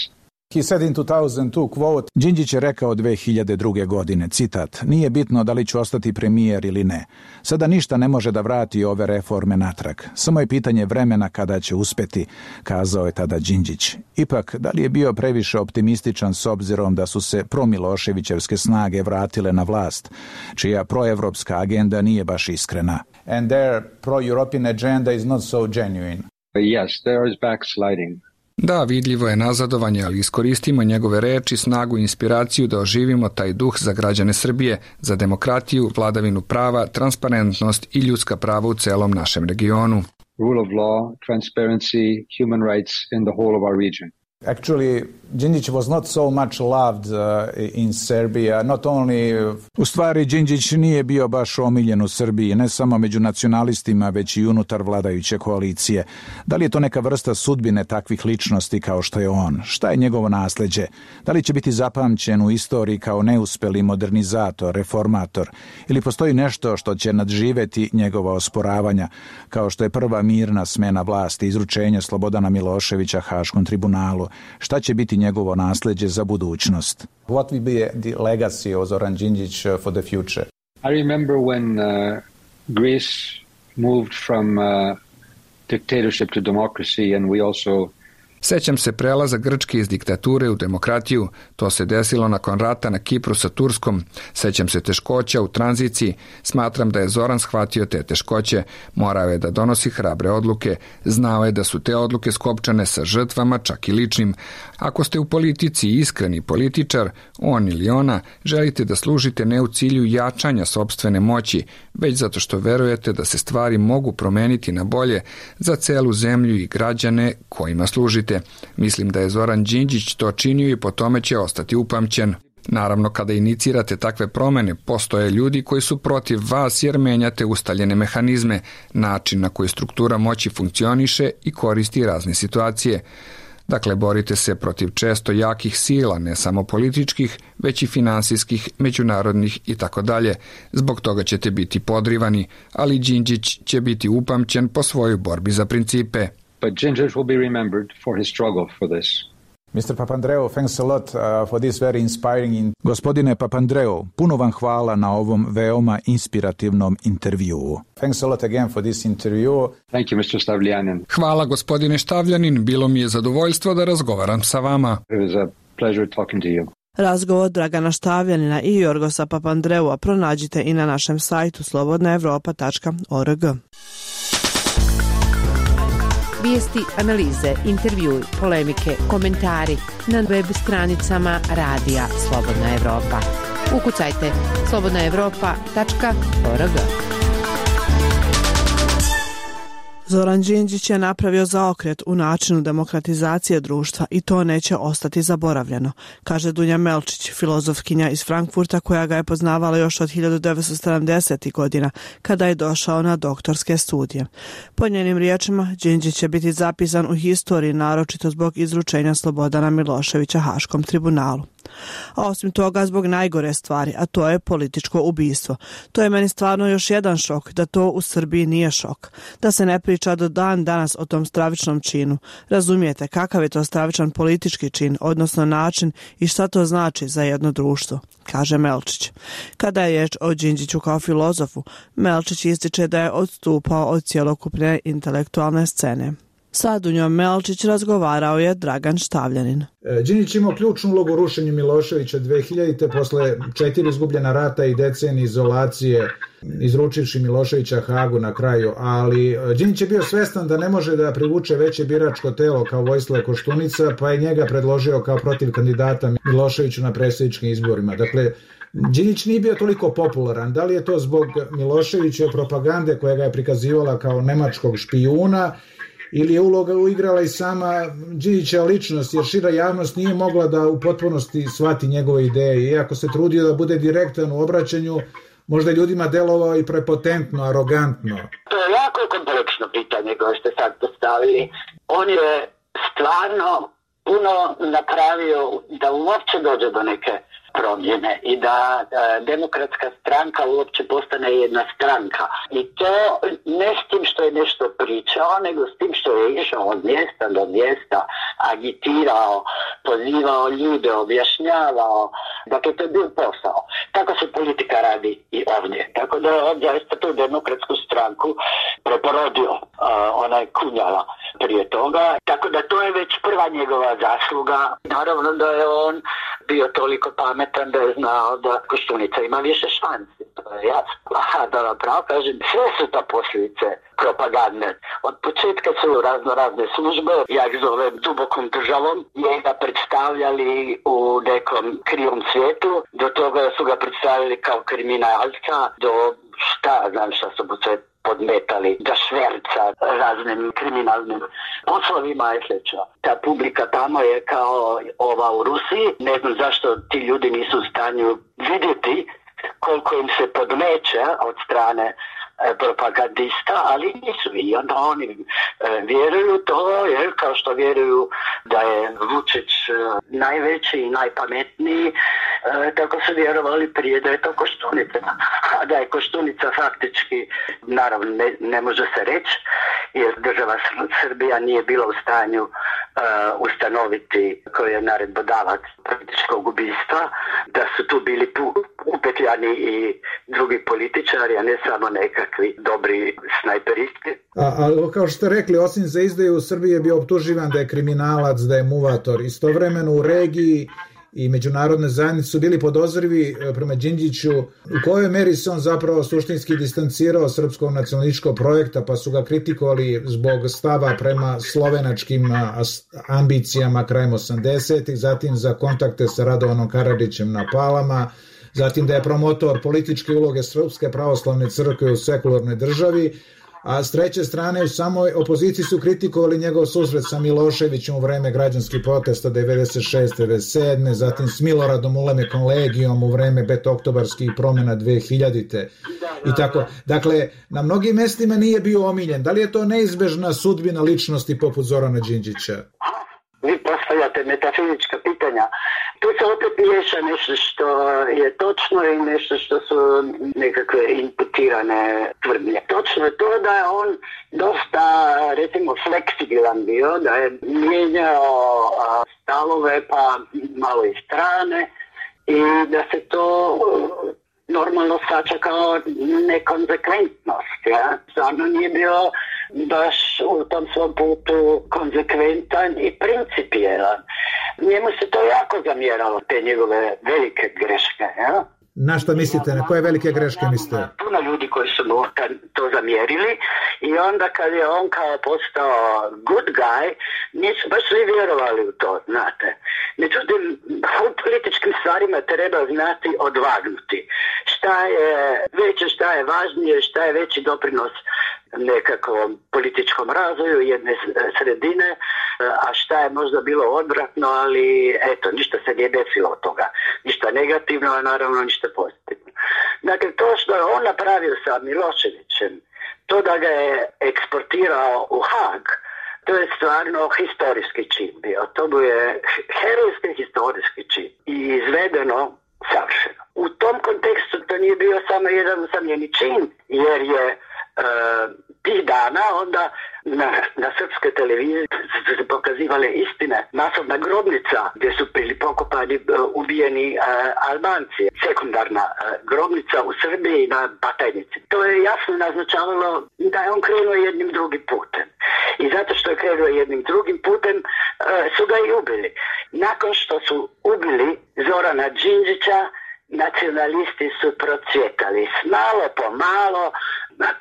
He said in two thousand two, quote, Đinđić je rekao dve hiljade druge. godine, citat, nije bitno da li ću ostati premijer ili ne. Sada ništa ne može da vrati ove reforme natrag. Samo je pitanje vremena kada će uspeti, kazao je tada Đinđić. Ipak, da li je bio previše optimističan s obzirom da su se promiloševićevske snage vratile na vlast, čija proevropska agenda nije baš iskrena? And their pro-European agenda is not so genuine. Yes, there is backsliding. Da, vidljivo je nazadovanje, ali iskoristimo njegove reči, snagu i inspiraciju da oživimo taj duh za građane Srbije, za demokratiju, vladavinu prava, transparentnost i ljudska prava u celom našem regionu. Rule of law, transparency, human rights in the whole of our region. Actually, Đinđić was not so much loved uh, in Serbia, not only... U stvari, Đinđić nije bio baš omiljen u Srbiji, ne samo među nacionalistima, već i unutar vladajuće koalicije. Da li je to neka vrsta sudbine takvih ličnosti kao što je on? Šta je njegovo nasleđe? Da li će biti zapamćen u istoriji kao neuspeli modernizator, reformator? Ili postoji nešto što će nadživeti njegova osporavanja, kao što je prva mirna smena vlasti, izručenje Slobodana Miloševića Haškom tribunalu? Šta će biti njegovo nasleđe za budućnost? What will be the legacy of Zoran Đinđić for the future? I remember when uh, Greece moved from uh, dictatorship to democracy, and we also Sećam se prelaza Grčke iz diktature u demokratiju. To se desilo nakon rata na Kipru sa Turskom. Sećam se teškoća u tranziciji. Smatram da je Zoran shvatio te teškoće. Morao je da donosi hrabre odluke. Znao je da su te odluke skopčane sa žrtvama, čak i ličnim. Ako ste u politici iskreni političar, on ili ona, želite da služite ne u cilju jačanja sopstvene moći, već zato što verujete da se stvari mogu promeniti na bolje za celu zemlju i građane kojima služite. Mislim da je Zoran Đinđić to činio i po tome će ostati upamćen. Naravno, kada inicirate takve promene, postoje ljudi koji su protiv vas jer menjate ustaljene mehanizme, način na koji struktura moći funkcioniše i koristi razne situacije. Dakle, borite se protiv često jakih sila, ne samo političkih, već i finansijskih, međunarodnih i tako dalje. Zbog toga ćete biti podrivani, ali Đinđić će biti upamćen po svojoj borbi za principe. But Đinđić will be remembered for his struggle for this. mister Papandreou, thanks a lot uh, for this very inspiring in... Gospodine Papandreou, puno vam hvala na ovom veoma inspirativnom intervjuu. Thanks a lot again for this interview. Thank you, mister Stavljanin. Hvala, gospodine Štavljanin. Bilo mi je zadovoljstvo da razgovaram sa vama. It was a pleasure talking to you. Razgovor Dragana Štavljanina i Jorgosa Papandreua pronađite i na našem sajtu slobodna evropa tačka org. Vijesti, analize, intervjui, polemike, komentari na web stranicama Radija Slobodna Evropa. Ukucajte slobodna evropa tačka org. Zoran Đinđić je napravio zaokret u načinu demokratizacije društva i to neće ostati zaboravljeno, kaže Dunja Melčić, filozofkinja iz Frankfurta koja ga je poznavala još od hiljadu devetsto sedamdesetih. godina kada je došao na doktorske studije. Po njenim riječima, Đinđić će biti zapisan u historiji naročito zbog izručenja Slobodana Miloševića Haškom tribunalu. A osim toga zbog najgore stvari, a to je političko ubistvo. To je meni stvarno još jedan šok, da to u Srbiji nije šok. Da se ne priča do dan danas o tom stravičnom činu. Razumijete kakav je to stravičan politički čin, odnosno način i šta to znači za jedno društvo, kaže Melčić. Kada je riječ o Đinđiću kao filozofu, Melčić ističe da je odstupao od cjelokupne intelektualne scene. Sa Dunjom Melčić razgovarao je Dragan Štavljanin. Đinđić imao ključnu ulogu u rušenju Miloševića dve hiljadite. posle četiri izgubljena rata i decenije izolacije, izručivši Miloševića Hagu na kraju, ali Đinđić je bio svestan da ne može da privuče veće biračko telo kao Vojislav Koštunica, pa je njega predložio kao protiv kandidata Miloševiću na predsjedničkim izborima. Dakle, Đinđić nije bio toliko popularan. Da li je to zbog Miloševićeve propagande koja ga je prikazivala kao nemačkog špijuna, ili je uloga uigrala i sama Đinđićeva ličnost, jer šira javnost nije mogla da u potpunosti shvati njegove ideje. Iako se trudio da bude direktan u obraćanju, možda ljudima delovao i prepotentno, arogantno. To je jako kompleksno pitanje koje ste sad postavili. On je stvarno puno napravio da uopće dođe do neke promjene i da e, demokratska stranka uopće postane jedna stranka. I to ne s tim što je nešto pričao, nego s tim što je išao od mjesta do mjesta, agitirao, pozivao ljude, objašnjavao. Dakle, to je bio posao. Tako se politika radi i ovdje. Tako da je ovdje tu demokratsku stranku preporodio uh, onaj Kunjala prije toga. Tako da to je već prva njegova zasluga. Naravno da je on bio toliko pametan da je znao da Koštunica ima više šansi. To je jasno. A da vam pravo kažem, sve su to posljedice propagande. Od početka su razno razne službe, ja ih zovem dubokom državom, njega predstavljali u nekom krivom svijetu, do toga su ga predstavili kao kriminalca, do šta, znam šta su mu sve podmetali, da šverca raznim kriminalnim poslovima i slično. Ta publika tamo je kao ova u Rusiji, ne znam zašto ti ljudi nisu u stanju vidjeti koliko im se podmeće od strane propagandista, ali nisu i onda oni e, vjeruju to, jer kao što vjeruju da je Vučić e, najveći i najpametniji, e, tako su vjerovali prije da je to Koštunica. A da je Koštunica faktički, naravno ne, ne može se reći, jer država Srbija nije bila u stanju e, ustanoviti koji je naredbodavac političkog ubistva, da su tu bili upetljani i drugi političari, a ne samo nekakvi dobri snajperisti. A, a kao što ste rekli, osim za izdaju u Srbiji je bio optuživan da je kriminalac, da je muvator. Istovremeno u regiji i međunarodne zajednice su bili podozrivi prema Đinđiću u kojoj meri se on zapravo suštinski distancirao srpskog nacionalističkog projekta, pa su ga kritikovali zbog stava prema slovenačkim ambicijama krajem osamdesetih, zatim za kontakte sa Radovanom Karadžićem na Palama, zatim da je promotor političke uloge Srpske pravoslavne crkve u sekularnoj državi, a s treće strane u samoj opoziciji su kritikovali njegov susret sa Miloševićem u vreme građanskih protesta devedeset šeste devedeset sedme zatim s Miloradom Ulemekom Legijom u vreme petooktobarskih promjena dve hiljadite i tako. Dakle, na mnogim mestima nije bio omiljen. Da li je to neizbežna sudbina ličnosti poput Zorana Đinđića? Vi postavljate metafizička pitanja. Tu se opet miješa nešto što je točno i nešto što su nekakve imputirane tvrdnje. Točno je to da je on dosta, recimo, fleksibilan bio, da je mijenjao stavove pa malo i strane i da se to normalno sača kao nekonzekventnost. Ja? Stvarno nije bio baš u tom svom putu konzekventan i principijelan. Njemu se to jako zamjeralo, te njegove velike greške. Ja? Na šta mislite? Na koje velike greške mislite? Puno ljudi koji su mu to zamjerili i onda kad je on kao postao good guy, nisu baš svi vjerovali u to, znate. Međutim, u političkim stvarima treba znati odvagnuti. Šta je veće, šta je važnije, šta je veći doprinos nekakvom političkom razvoju jedne sredine, a šta je možda bilo odvratno, ali eto, ništa se nije desilo od toga. Ništa negativno, a naravno ništa pozitivno. Dakle, to što je on napravio sa Miloševićem, to da ga je eksportirao u Hag, to je stvarno historijski čin bio. To mu je herojski historijski čin. I izvedeno savršeno. U tom kontekstu to nije bio samo jedan usamljeni čin, jer je e, tih dana onda na, na srpskoj televiziji su se pokazivale istine. Masovna grobnica gdje su bili pokopani uh, ubijeni uh, Albanci. Sekundarna uh, grobnica u Srbiji na Batajnici. To je jasno naznačavalo da je on krenuo jednim drugim putem. I zato što je krenuo jednim drugim putem uh, su ga i ubili. Nakon što su ubili Zorana Đinđića, nacionalisti su procvjetali. Malo po malo,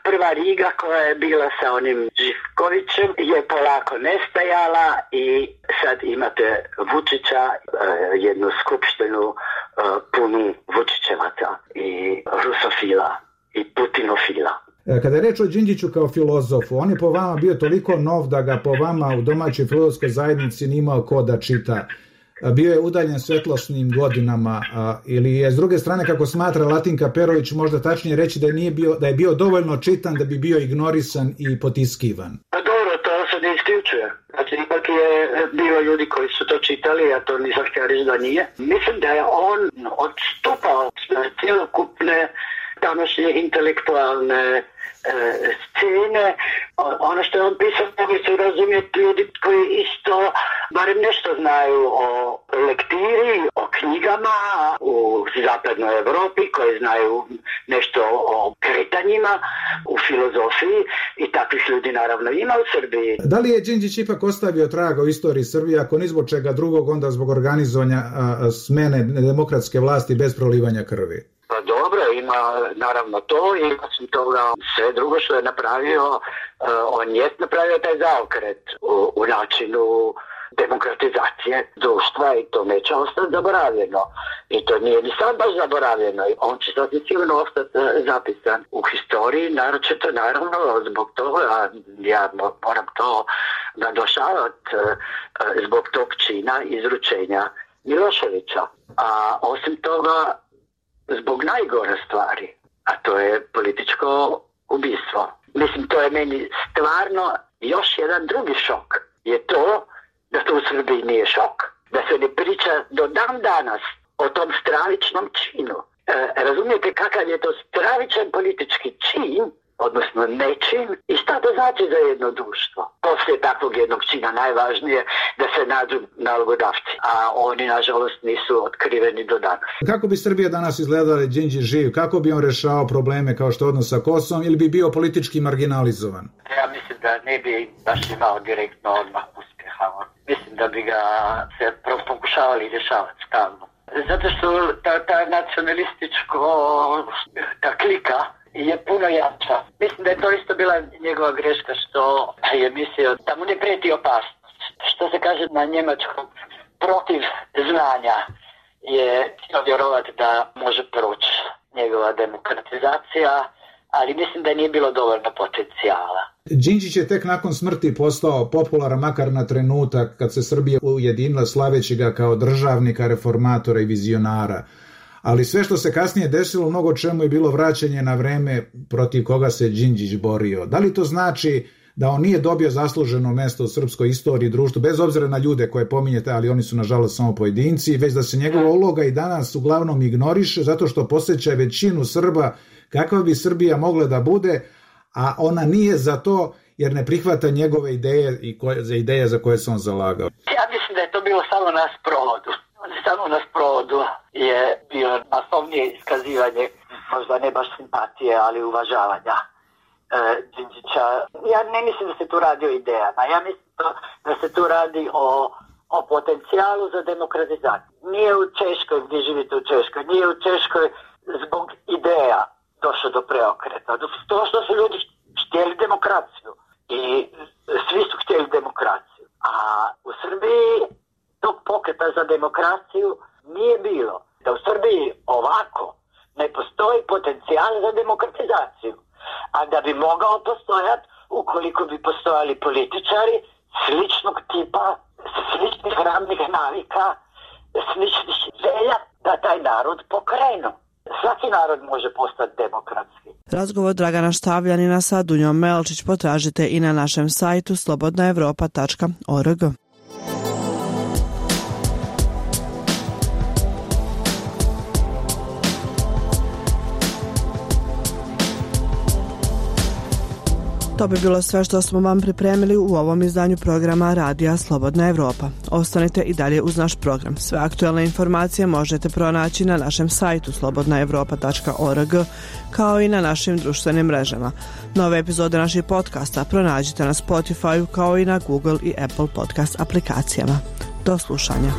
prva Riga koja je bila sa onim Živkovićem je polako nestajala i sad imate Vučića, jednu skupštinu punu Vučićevaca i rusofila i putinofila. Kada je reč o Đinđiću kao filozofu, on je po vama bio toliko nov da ga po vama u domaćoj filozofskoj zajednici nije imao ko da čita. Bio je udaljen svetlosnim godinama, a, ili je s druge strane, kako smatra Latinka Perović, možda tačnije reći da je, nije bio, da je bio dovoljno čitan da bi bio ignorisan i potiskivan? Pa dobro, to se ne isključuje. Znači, ipak je bilo ljudi koji su to čitali, a to nisam htio reći da nije. Mislim da je on odstupao na cijelokupne današnje intelektualne scene. Ono što je on pisao mogli su razumjeti ljudi koji isto barem nešto znaju o lektiri, o knjigama u zapadnoj Evropi, koji znaju nešto o kretanjima u filozofiji i takvih ljudi naravno ima u Srbiji. Da li je Đinđić ipak ostavio traga u istoriji Srbije, ako ni zbog čega drugog, onda zbog organizovanja a, smene demokratske vlasti bez prolivanja krvi? Pa dobro, ima naravno to i osim toga sve drugo što je napravio, uh, on je napravio taj zaokret u, u načinu demokratizacije društva i to neće ostati zaboravljeno. I to nije ni sad baš zaboravljeno. On će sasvim sigurno ostati zapisan u historiji, naročito naravno zbog toga, a ja moram to naglašavati, zbog tog čina izručenja Miloševića. A osim toga, zbog najgore stvari, a to je političko ubistvo. Mislim, to je meni stvarno još jedan drugi šok. Je to da to u Srbiji nije šok. Da se ne priča do dan danas o tom stravičnom činu. E, razumijete kakav je to stravičan politički čin, odnosno nečin, i šta to znači za jedno društvo? Poslije takvog jednog čina najvažnije da se nađu nalogodavci, a oni nažalost nisu otkriveni do danas. Kako bi Srbija danas izgledala Đinđić živ? Kako bi on rešao probleme kao što je odnos sa Kosovom ili bi bio politički marginalizovan? Ja mislim da ne bi baš imao direktno odmah uspjeha. Mislim da bi ga se pokušavali rješavati stalno. Zato što ta, ta nacionalističko, ta klika je puno jača. Mislim da je to isto bila njegova greška što je mislio da mu ne prijeti opasnost. Što se kaže na njemačkom, protiv znanja je htio vjerovati da može proći njegova demokratizacija, ali mislim da nije bilo dovoljno potencijala. Đinđić je tek nakon smrti postao popularan makar na trenutak kad se Srbija ujedinila slaveći ga kao državnika, reformatora i vizionara. Ali sve što se kasnije desilo, mnogo čemu je bilo vraćanje na vreme protiv koga se Đinđić borio. Da li to znači da on nije dobio zasluženo mesto u srpskoj istoriji i društvu, bez obzira na ljude koje pominjete, ali oni su nažalost samo pojedinci, već da se njegova uloga i danas uglavnom ignoriše zato što posjeća većinu Srba kakva bi Srbija mogla da bude, a ona nije za to jer ne prihvata njegove ideje i koje, za ideje za koje se on zalagao? Ja mislim da je to bilo samo na sprovodu. Samo na sprovodu je bilo masovnije iskazivanje, možda ne baš simpatije, ali uvažavanja Đinđića. E, ja ne mislim da se tu radi o idejama, ja mislim to, da se tu radi o, o potencijalu za demokratizaciju. Nije u Češkoj, gdje živite u Češkoj, nije u Češkoj zbog ideja došlo do preokreta. To što su ljudi htjeli demokraciju i svi su htjeli demokraciju. A u Srbiji tog pokreta za demokraciju nije bilo. Da u Srbiji ovako ne postoji potencijal za demokratizaciju. A da bi mogao postojati ukoliko bi postojali političari sličnog tipa, sličnih radnih navika, sličnih želja da taj narod pokrenu. Svaki narod može postati demokratski. Razgovor Dragana Štavljanina sa Dunjom Melčić potražite i na našem sajtu slobodna evropa tačka org. To bi bilo sve što smo vam pripremili u ovom izdanju programa Radija Slobodna Evropa. Ostanite i dalje uz naš program. Sve aktuelne informacije možete pronaći na našem sajtu slobodna evropa tačka org, kao i na našim društvenim mrežama. Nove epizode naših podcasta pronađite na Spotify, kao i na Google i Apple podcast aplikacijama. Do slušanja.